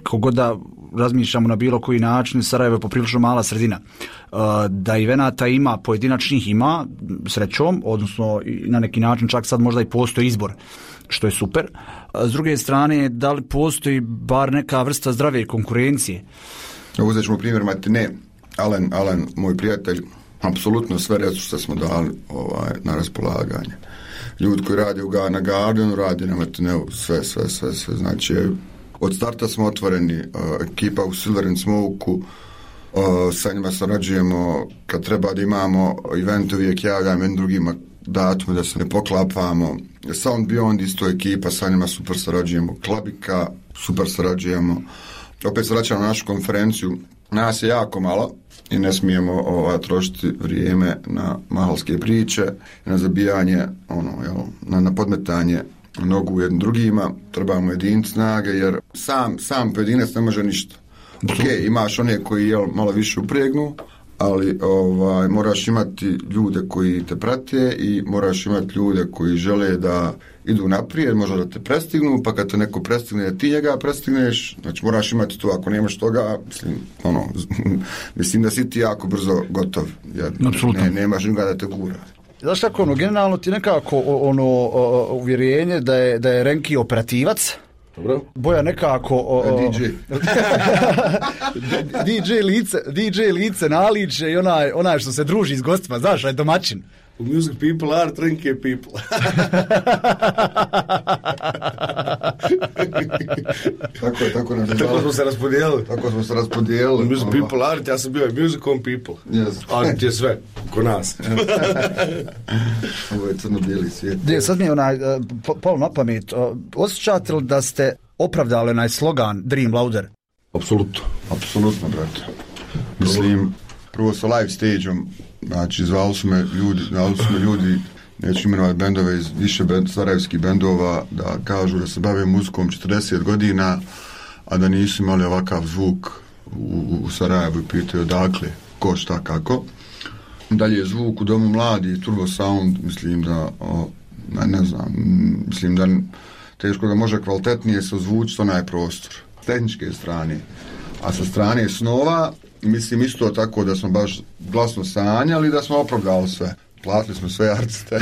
kogod da razmišljamo na bilo koji način, Sarajevo je poprilično mala sredina. Da evenata ima, pojedinačnih ima, srećom, odnosno na neki način čak sad možda i postoji izbor, što je super. S druge strane, da li postoji bar neka vrsta zdrave konkurencije?
Uzet ćemo primjer Matine. Alen, moj prijatelj, apsolutno sve resurse smo dali na raspolaganje. Ljudi koji radi na Guardianu, radi na Matineu, sve. Znači, od starta smo otvoreni, ekipa u Silver and Smoke-u, sa njima sarađujemo, kad treba da imamo event, uvijek javljamo jednim drugima datume da se ne poklapamo. Sound Beyond isto ekipa, sa njima super sarađujemo. Klabika, super sarađujemo. Opet se vraćamo na našu konferenciju. Nas je jako malo i ne smijemo trošiti vrijeme na mahalske priče, na zabijanje, na podmetanje nogu jednim drugima. Trebamo jediniti snage, jer sam pojedinac ne može ništa. Ok, imaš one koji malo više upregnu, ali moraš imati ljude koji te prate i moraš imati ljude koji žele da idu naprijed, možda da te prestignu, pa kad te neko prestigne, da ti njega prestigneš, znači moraš imati to, ako nemaš toga, mislim da si ti jako brzo gotov, jer nemaš nikoga da te gura.
Znaš kako, generalno ti nekako uvjerenje da je Renki operativac, dobro. Boja nekako DJ lice naliče i onaj što se druži s gostima, znaš, domaćin.
Music people are Renki people. Tako smo se raspodijelili. Music people are, ja sam bio music on people. Yes. Art je sve, ko nas.
Ovo je crno-bijeli svijet.
Sad mi je palo na pamet. Osjećate li da ste opravdali onaj slogan Dream Louder?
Apsolutno, brate. Mislim, prvo sa live stage-om, znači zvali su me ljudi, neću imenovati bendove iz više sarajevskih bendova, da kažu da se bave muzikom 40 godina, a da nisu imali ovakav zvuk u Sarajevu i pitaju odakle, ko, šta, kako. Dalje zvuk u Domu mladi, Turbo Sound, mislim da, mislim da teško da može kvalitetnije se ozvučiti onaj prostor. S tehničke strane. A sa strane snova, mislim isto tako da smo baš glasno sanjali, da smo opravdali sve. Platili smo sve artiste.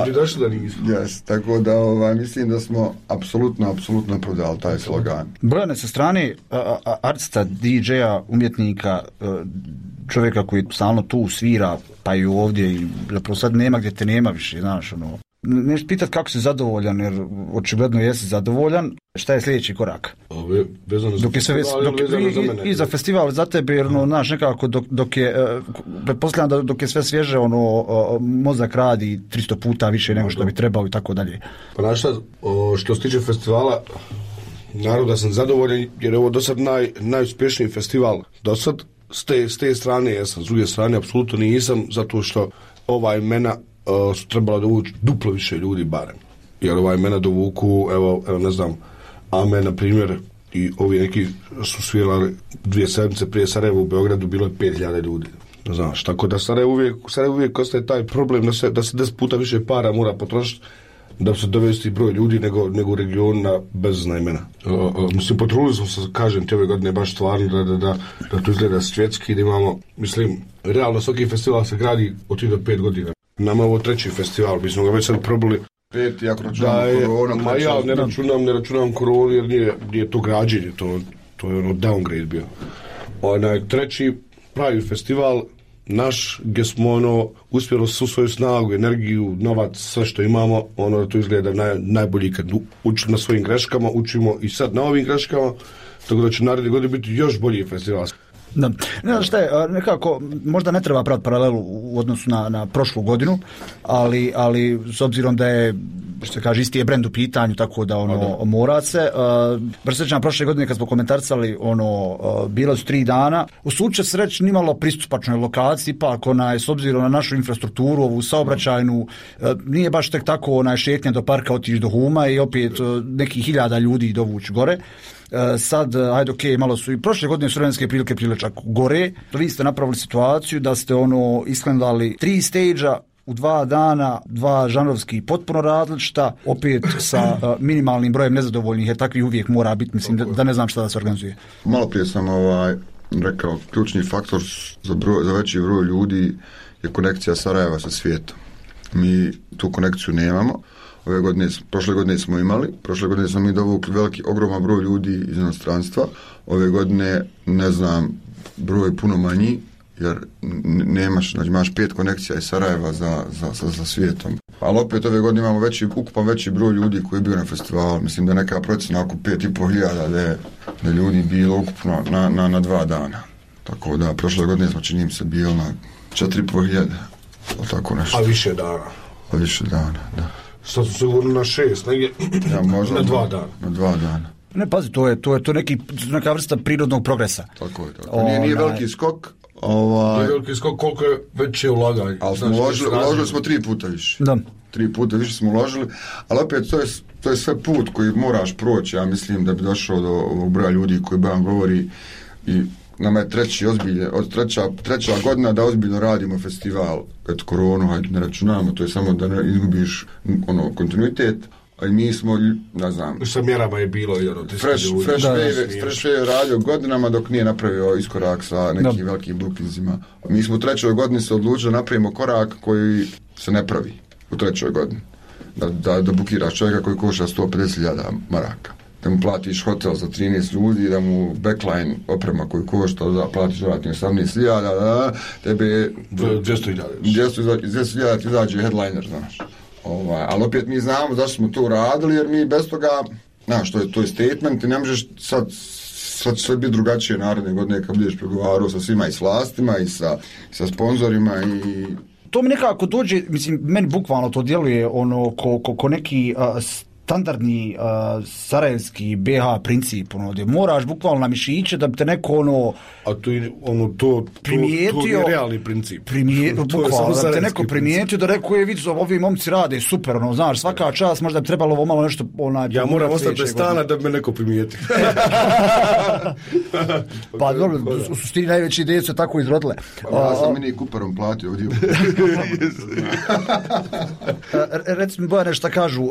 Bi došli da nismo.
Yes, tako da mislim da smo apsolutno opravdali taj slogan.
Brojane sa strane artista, DJ-a, umjetnika, čovjeka koji stalno tu svira, pa i ovdje, i zapravo sad nema gdje te nema više, znaš, Nešto pitati kako si zadovoljan, jer očigledno jesi zadovoljan. Šta je sljedeći korak?
Vezano za festival,
i za festival za tebe, jer znaš, nekako dok je, pretpostavljam da dok je sve svježe, mozak radi 300 puta više nego što bi trebao i tako dalje.
Pa znaš šta, što se tiče festivala, naravno da sam zadovoljan, jer je ovo do sad najuspješniji festival. Do sad, s te strane jesam, s druge strane apsolutno nisam, zato što ova imena su trebala dovući duplo više ljudi barem. Jer ova imena dovuku, evo ne znam, Ame, na primjer, i ovi neki su svirali 2 sedmice prije Sarajeva u Beogradu, bilo je 5000 ljudi. Znaš, tako da Sarajevo uvijek ostaje taj problem da se 10 puta više para mora potrošiti da se dovesti broj ljudi nego u regionu na bezazna imena. Mislim, potrudili smo se, kažem ti, ove godine baš stvarno da to izgleda svjetski, da imamo, mislim, realno svaki festival se gradi od 3 do 5 godina. Nama je ovo 3. festival, mi smo ga već sad probali.
5, ako računam koronu.
Ma ja ne računam koronu jer nije to građenje, to je downgrade bio. Onaj 3. pravi festival, naš, gdje smo uspjeli svu svoju snagu, energiju, novac, sve što imamo, da to izgleda najbolji kad učimo na svojim greškama, učimo i sad na ovim greškama, tako da će naredne godine biti još bolji festival.
Da. Ne znam šta je, nekako, možda ne treba praviti paralelu u odnosu na prošlu godinu, ali s obzirom da je, što se kaže, isti je brend u pitanju, tako da mora se. Presjećam prošle godine kad smo komentarisali, bilo su 3 dana. U slučaju se reći nimalo pristupačnoj lokaciji, ipak s obzirom na našu infrastrukturu, ovu saobraćajnu, nije baš tek tako šetnja do parka, otići do Huma i opet nekih 1000 ljudi dovući gore. Sad, ajde, ok, malo su i prošle godine su vremenske prilike bile čak gore. Vi ste napravili situaciju da ste isklandali 3 stage-a u 2 dana, 2 žanrovski potpuno različita, opet sa minimalnim brojem nezadovoljnih, jer takvi uvijek mora biti, mislim, da ne znam šta da se organizuje.
Malo prije sam rekao, ključni faktor za veći broj ljudi je konekcija Sarajeva sa svijetom. Mi tu konekciju nemamo. Prošle godine smo imali, prošle godine smo mi dovukli ogroman broj ljudi iz inostranstva. Ove godine, ne znam, broj puno manji, jer nemaš, znači imaš 5 konekcija iz Sarajeva za svijetom. Ali opet ove godine imamo ukupan veći broj ljudi koji je bio na festivalu. Mislim da neka procjena oko 5.500 da ljudi bilo ukupno na 2 dana. Tako da prošle godine smo, činim se, bilo na 4.500. Tako nešto.
A više dana.
Da.
Sad su sigurno na 6, negdje
možda
na 2 dana.
Na 2 dana.
Ne, pazi, to je neka vrsta prirodnog progresa.
Tako je. Nije veliki skok.
Nije veliki skok, koliko je veće ulaganje.
Ali smo uložili smo 3 puta više.
Da.
3 puta više smo uložili, ali opet to je sve put koji moraš proći, ja mislim, da bi došao do ovog broja ljudi koji Bojan govori, i nama je treća godina da ozbiljno radimo festival. Kad koronu, hajde ne računamo, to je samo da ne izgubiš kontinuitet, a i mi smo, ne znam...
Sa mjerama je bilo i
Fresh Wave je radio godinama dok nije napravio iskorak sa nekim velikim bookingsima. Mi smo u 3. godini se odlučili da napravimo korak koji se ne pravi u 3. godini. Da bukiraš čovjeka koji koša 150.000 maraka. Da mu platiš hotel za 13 ljudi, da mu backline oprema koju košta, da platiš dodatnih 18.000, tebe 200.000 ti izađe headliner, znaš. Ali opet mi znamo zašto smo to radili, jer mi bez toga, znaš, to je statement i ne možeš sad sve biti drugačije naredne godine kad budeš pregovarao sa svima i s vlastima i sa sponzorima i...
To mi nekako dođe, mislim, meni bukvalno to djeluje ko neki standardni sarajevski BH princip, gdje moraš bukvalno na mišiće da bi te neko
a to primijetio, to je realni princip.
Bukvalno, da bi te neko primijetio, da rekao je, vidi, ovi momci rade super, znaš, svaka čast, možda bi trebalo ovo malo nešto...
ja moram ostati bez stana da bi me neko primijetio.
Pa dobro, u suštini najveće ideje su tako izrodile.
Ja sam Mini Cooperom platio ovdje.
Recimo, Bojane, šta kažu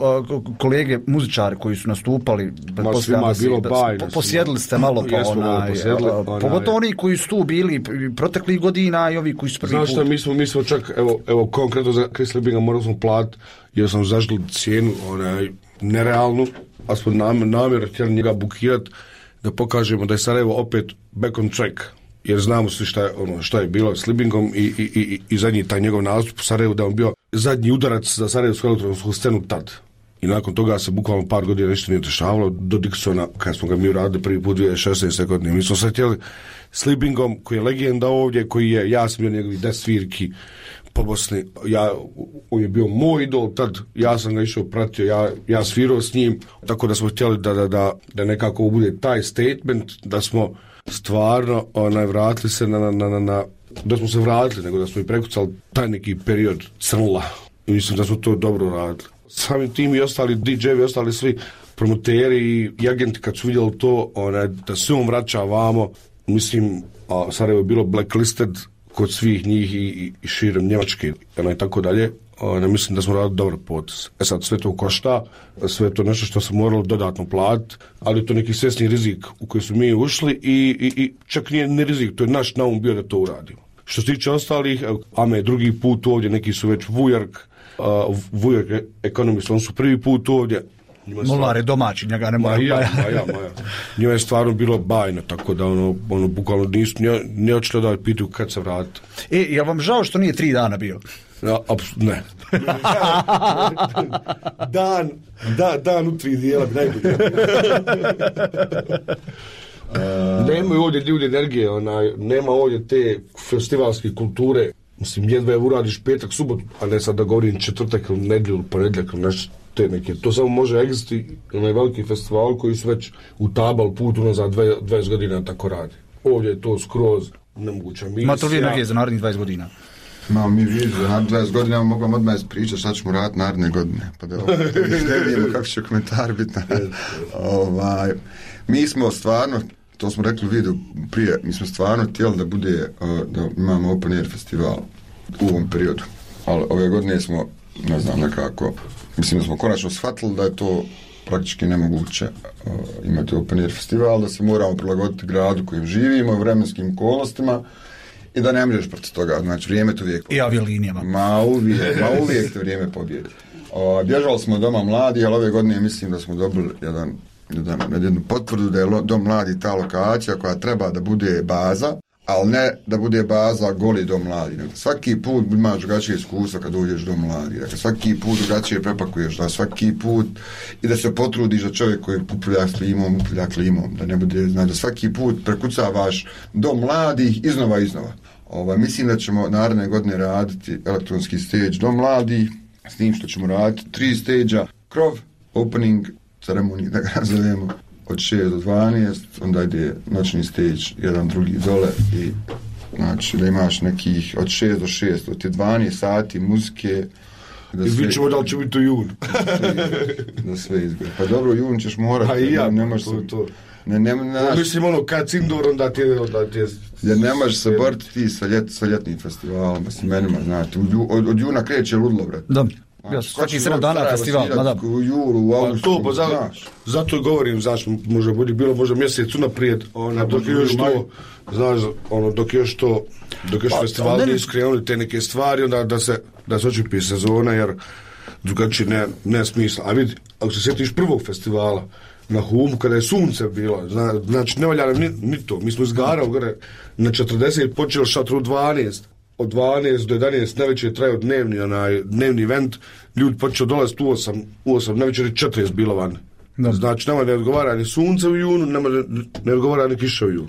kolege muzičari koji su nastupali, posjedili ste malo pogotovo oni koji su tu bili proteklih godina i ovi koji su prvi put.
Znaš šta, mi smo čak, evo konkretno za Chris Libinga morali smo platiti, jer sam zažili cijenu nerealnu, a smo namjerno htjeli njega bukirati da pokažemo da je Sarajevo opet back on track, jer znamo svi šta je bilo s Libingom i zadnji taj njegov nastup u Sarajevu, da je on bio zadnji udarac za sarajevsku elektronsku scenu tad. I nakon toga se bukvalno par godina nešto nije dešavalo do Dixona, kad smo ga mi uradili prvi put 2016. godine. Mi smo se htjeli s Libingom, koji je legenda ovdje, ja sam bio njegovi 10 svirki po Bosni, on je bio moj idol tad, ja sam ga išao pratio, ja svirao s njim, tako da smo htjeli da nekako bude taj statement, da smo stvarno vratili se da smo se vratili, nego da smo i prekucali taj neki period crnula. I mislim da smo to dobro radili. Samim tim i ostali DJ-evi, ostali svi promoteri i agenti kad su vidjeli to, da se on vraća vamo, mislim, Sarajevo je bilo blacklisted kod svih njih i širom Njemačke i tako dalje. Mislim da smo radili dobar potez. Sad sve to košta, sve to nešto što smo morali dodatno platiti, ali to neki svjesni rizik u koji su mi ušli i čak nije ni rizik, to je naš naum bio da to uradimo. Što se tiče ostalih, Ame drugi put ovdje, neki su već Vujark Economist, on su prvi put ovdje.
Molar je domaći, njega ne mora.
Maja. Njoj je stvarno bilo bajno, tako da bukvalno nisu ne očito da pitaju kad se vrati.
Jel vam žao što nije 3 dana bio?
Ne. Dan u 3 dijela bi najbolje. Nemaju ovdje ljudi energije, nema ovdje te festivalske kulture. Mislim, jedva je uradiš petak, subotu, a ne sad da govorim četvrtak ili nedjelju, ponedjeljak ili nešto te neke. To samo može egziti onaj veliki festival koji su već utabali put unazad 20 godina tako radi. Ovdje je to skroz nemoguća misija.
Ma to vi energije za narednih 20 godina?
Imamo mi vidu, za narednih 20 godina mogu vam odmah ispričati šta ćemo raditi naredne godine. Pa da ne vidimo kako će komentar biti. Mi smo stvarno, to smo rekli u videu prije, mi smo stvarno htjeli da bude, da imamo open air festival u ovom periodu. Ali ove godine smo, ne znam, nekako, mislim da smo konačno shvatili da je to praktički nemoguće imati open air festival, da se moramo prilagoditi gradu kojem živimo i vremenskim okolnostima i da ne možeš protiv toga, znači vrijeme to uvijek.
I aviolinijama.
Ma uvijek to vrijeme pobjedi. Bježali smo Doma mladi, ali ove godine mislim da smo dobili jednu potvrdu da je Dom mladi ta lokacija koja treba da bude baza, ali ne da bude baza goli Dom mladi. Svaki put imaš drugačije iskustva kad uđeš Dom mladi. Dakle, svaki put drugačije prepakuješ, da svaki put i da se potrudiš da čovjek koji upravlja klimom, da ne bude, znači da svaki put prekucavaš Dom mladih iznova. Mislim da ćemo naredne godine raditi elektronski stage Dom mladi, s tim što ćemo raditi 3 stage-a, krov, opening, ceremonije, da ga nazovemo, od 6 do 12, onda ide noćni stage, jedan drugi dole i znači da imaš nekih od 6 do 6, od je 12 sati muzike.
I vidit ćemo da li će biti u jun.
Da sve izgleda. Pa dobro, jun ćeš morati.
A i ja,
ne možeš
to. Mislim kad Cindor, onda ti je...
Jer ne možeš se boriti ti sa ljetnim festivalom, s imenima, znate. Od juna kreće ludlo, brate.
Da. Svaki 7 dana festival,
u julu, u augustu,
zato govorim, znaš, možda mjesec unaprijed, dok još festival nije skrenuli te neke stvari, onda da se očipi sezona, jer drugačije ne smisla. A vidi, ako se sjetiš prvog festivala na Humu, kada je sunce bilo, znači ne valja nam ni to, mi smo izgarali gore na 40, počeli šatru 12, od 12 do 11 najveće trajao dnevni event, ljudi počeo dolaziti u 8 najveće 40 bilo van. Znači nama ne odgovara ni sunce u junu, ne odgovara ni kiša u junu.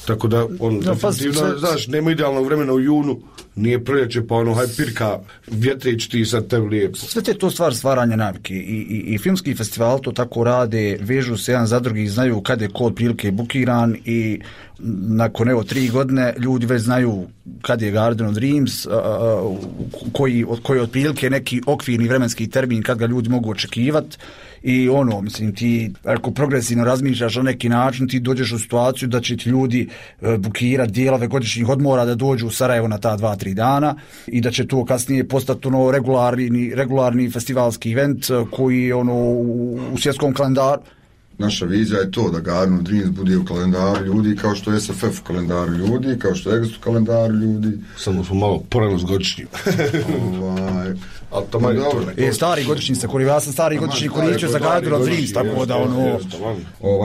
Tako da definitivno, znaš, nema idealnog vremena u junu, nije proljeće, pa haj pirka, vjetrić ti sad tebi lijepo.
Sve te to stvar stvaranja navike i filmski festival to tako rade, vežu se jedan za drugi, znaju kad je ko otprilike bukiran i nakon 3 godine ljudi već znaju kad je Garden of Dreams, koji otprilike neki okvirni vremenski termin kad ga ljudi mogu očekivati. I mislim, ti ako progresivno razmišljaš na neki način, ti dođeš u situaciju da će ti ljudi bukirati dijelove godišnjih odmora da dođu u Sarajevo na ta 2-3 dana i da će to kasnije postati regularni festivalski event koji je u svjetskom kalendaru.
Naša vizija je to da Garden of Dreams bude u kalendaru ljudi kao što je SFF u kalendaru ljudi, kao što je Exodus u kalendaru ljudi.
Samo smo malo porano s godišnjim.
Stari godišnji se koristio, ja sam stari godišnji koristio za Garden of Dreams, tako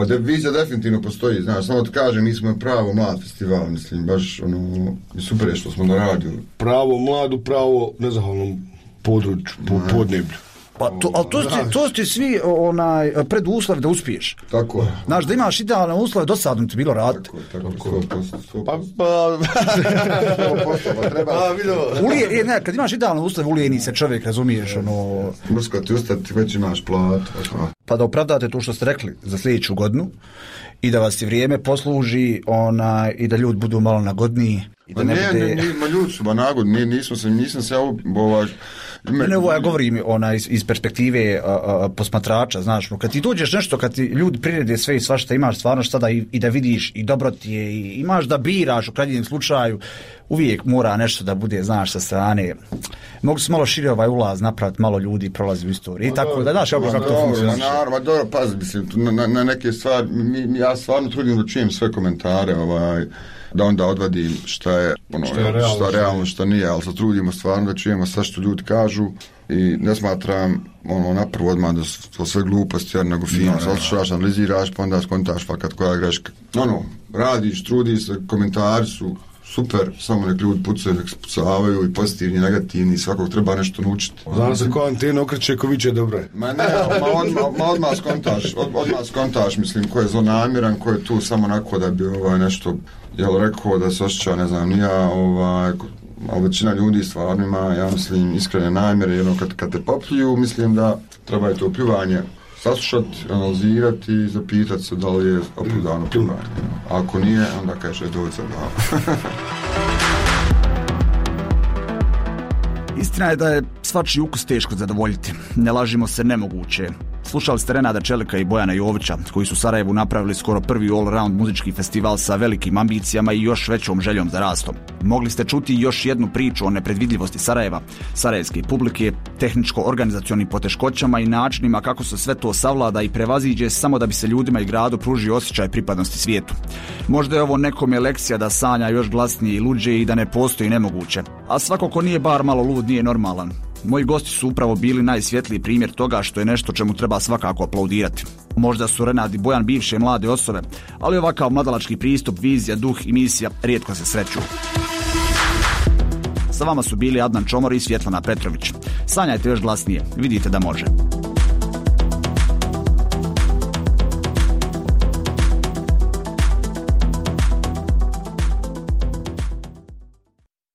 da
vizija definitivno postoji, znaš, samo ti kažem, mi smo pravo mlad festival, mislim, baš super je što smo na radiju.
Pravo mladu, pravo nezahvalnom području, podneblju.
Ali to ti svi preduslovi da uspiješ.
Tako je.
Znaš, da imaš idealne uslove, dosadno ti bilo raditi.
Tako.
Kad imaš idealne uslove, ulijeni se čovjek, razumiješ,
Mrsko ti ustati, već imaš plat.
Pa da opravdate to što ste rekli za sljedeću godinu i da vas i vrijeme posluži i da ljudi budu malo nagodniji.
Ljudi su nagodni, nisam se
ja govorim iz perspektive posmatrača, znaš, kad ti dođeš nešto, kad ti ljudi prirede sve i svašta, imaš stvarno šta da i da vidiš i dobro ti je i imaš da biraš u krajnjem slučaju, uvijek mora nešto da bude, znaš, sa strane. Mogu se malo šire ulaz napraviti, malo ljudi prolazi u istoriji i tako da, znaš, kako to funkcionira.
Dobro, pazi, mislim, na neke stvari, ja stvarno trudim da čujem sve komentare, da onda odvadim šta je realno, šta nije, ali se trudimo stvarno da čujemo sve što ljudi kažu i ne smatram napravo odmah da su to sve gluposti, nego fino, slušaš, analiziraš, pa onda skontaš fakat koja greška. Radiš, trudiš se, komentari su super, samo nek ljudi pucaju, nek se pucavaju i pozitivni, negativni, svakog treba nešto naučiti.
Znam se ko antena okreće, ko viće dobro je.
Ma ne, odmah skontaš, mislim, ko je zlonamjeran, ko je tu samo onako da bi nešto, rekao da se osjeća, ne znam, nija, a većina ljudi stvarno ima, ja mislim, iskrene namjere, kad te popljuju, mislim da treba je to pljuvanje saslušati, analizirati i zapitati se da li je opravdano pljuvanje. Ako nije, onda kaže dođe da.
Istina je da je svačiji ukus teško zadovoljiti. Ne lažimo se, nemoguće. Slušali ste Renada Čelika i Bojana Jovića, koji su u Sarajevu napravili skoro prvi all-around muzički festival sa velikim ambicijama i još većom željom za rastom. Mogli ste čuti još jednu priču o nepredvidljivosti Sarajeva, sarajevske publike, tehničko-organizacionim poteškoćama i načinima kako se sve to savlada i prevaziđe samo da bi se ljudima i gradu pružio osjećaj pripadnosti svijetu. Možda je ovo nekome lekcija da sanja još glasnije i luđe i da ne postoji nemoguće. A svako ko nije bar malo lud nije normalan. Moji gosti su upravo bili najsvjetliji primjer toga što je nešto čemu treba svakako aplaudirati. Možda su Renad i Bojan bivše mlade osobe, ali ovakav mladalački pristup, vizija, duh i misija rijetko se sreću. Sa vama su bili Adnan Čomor i Svjetlana Petrović. Sanjajte još glasnije, vidite da može.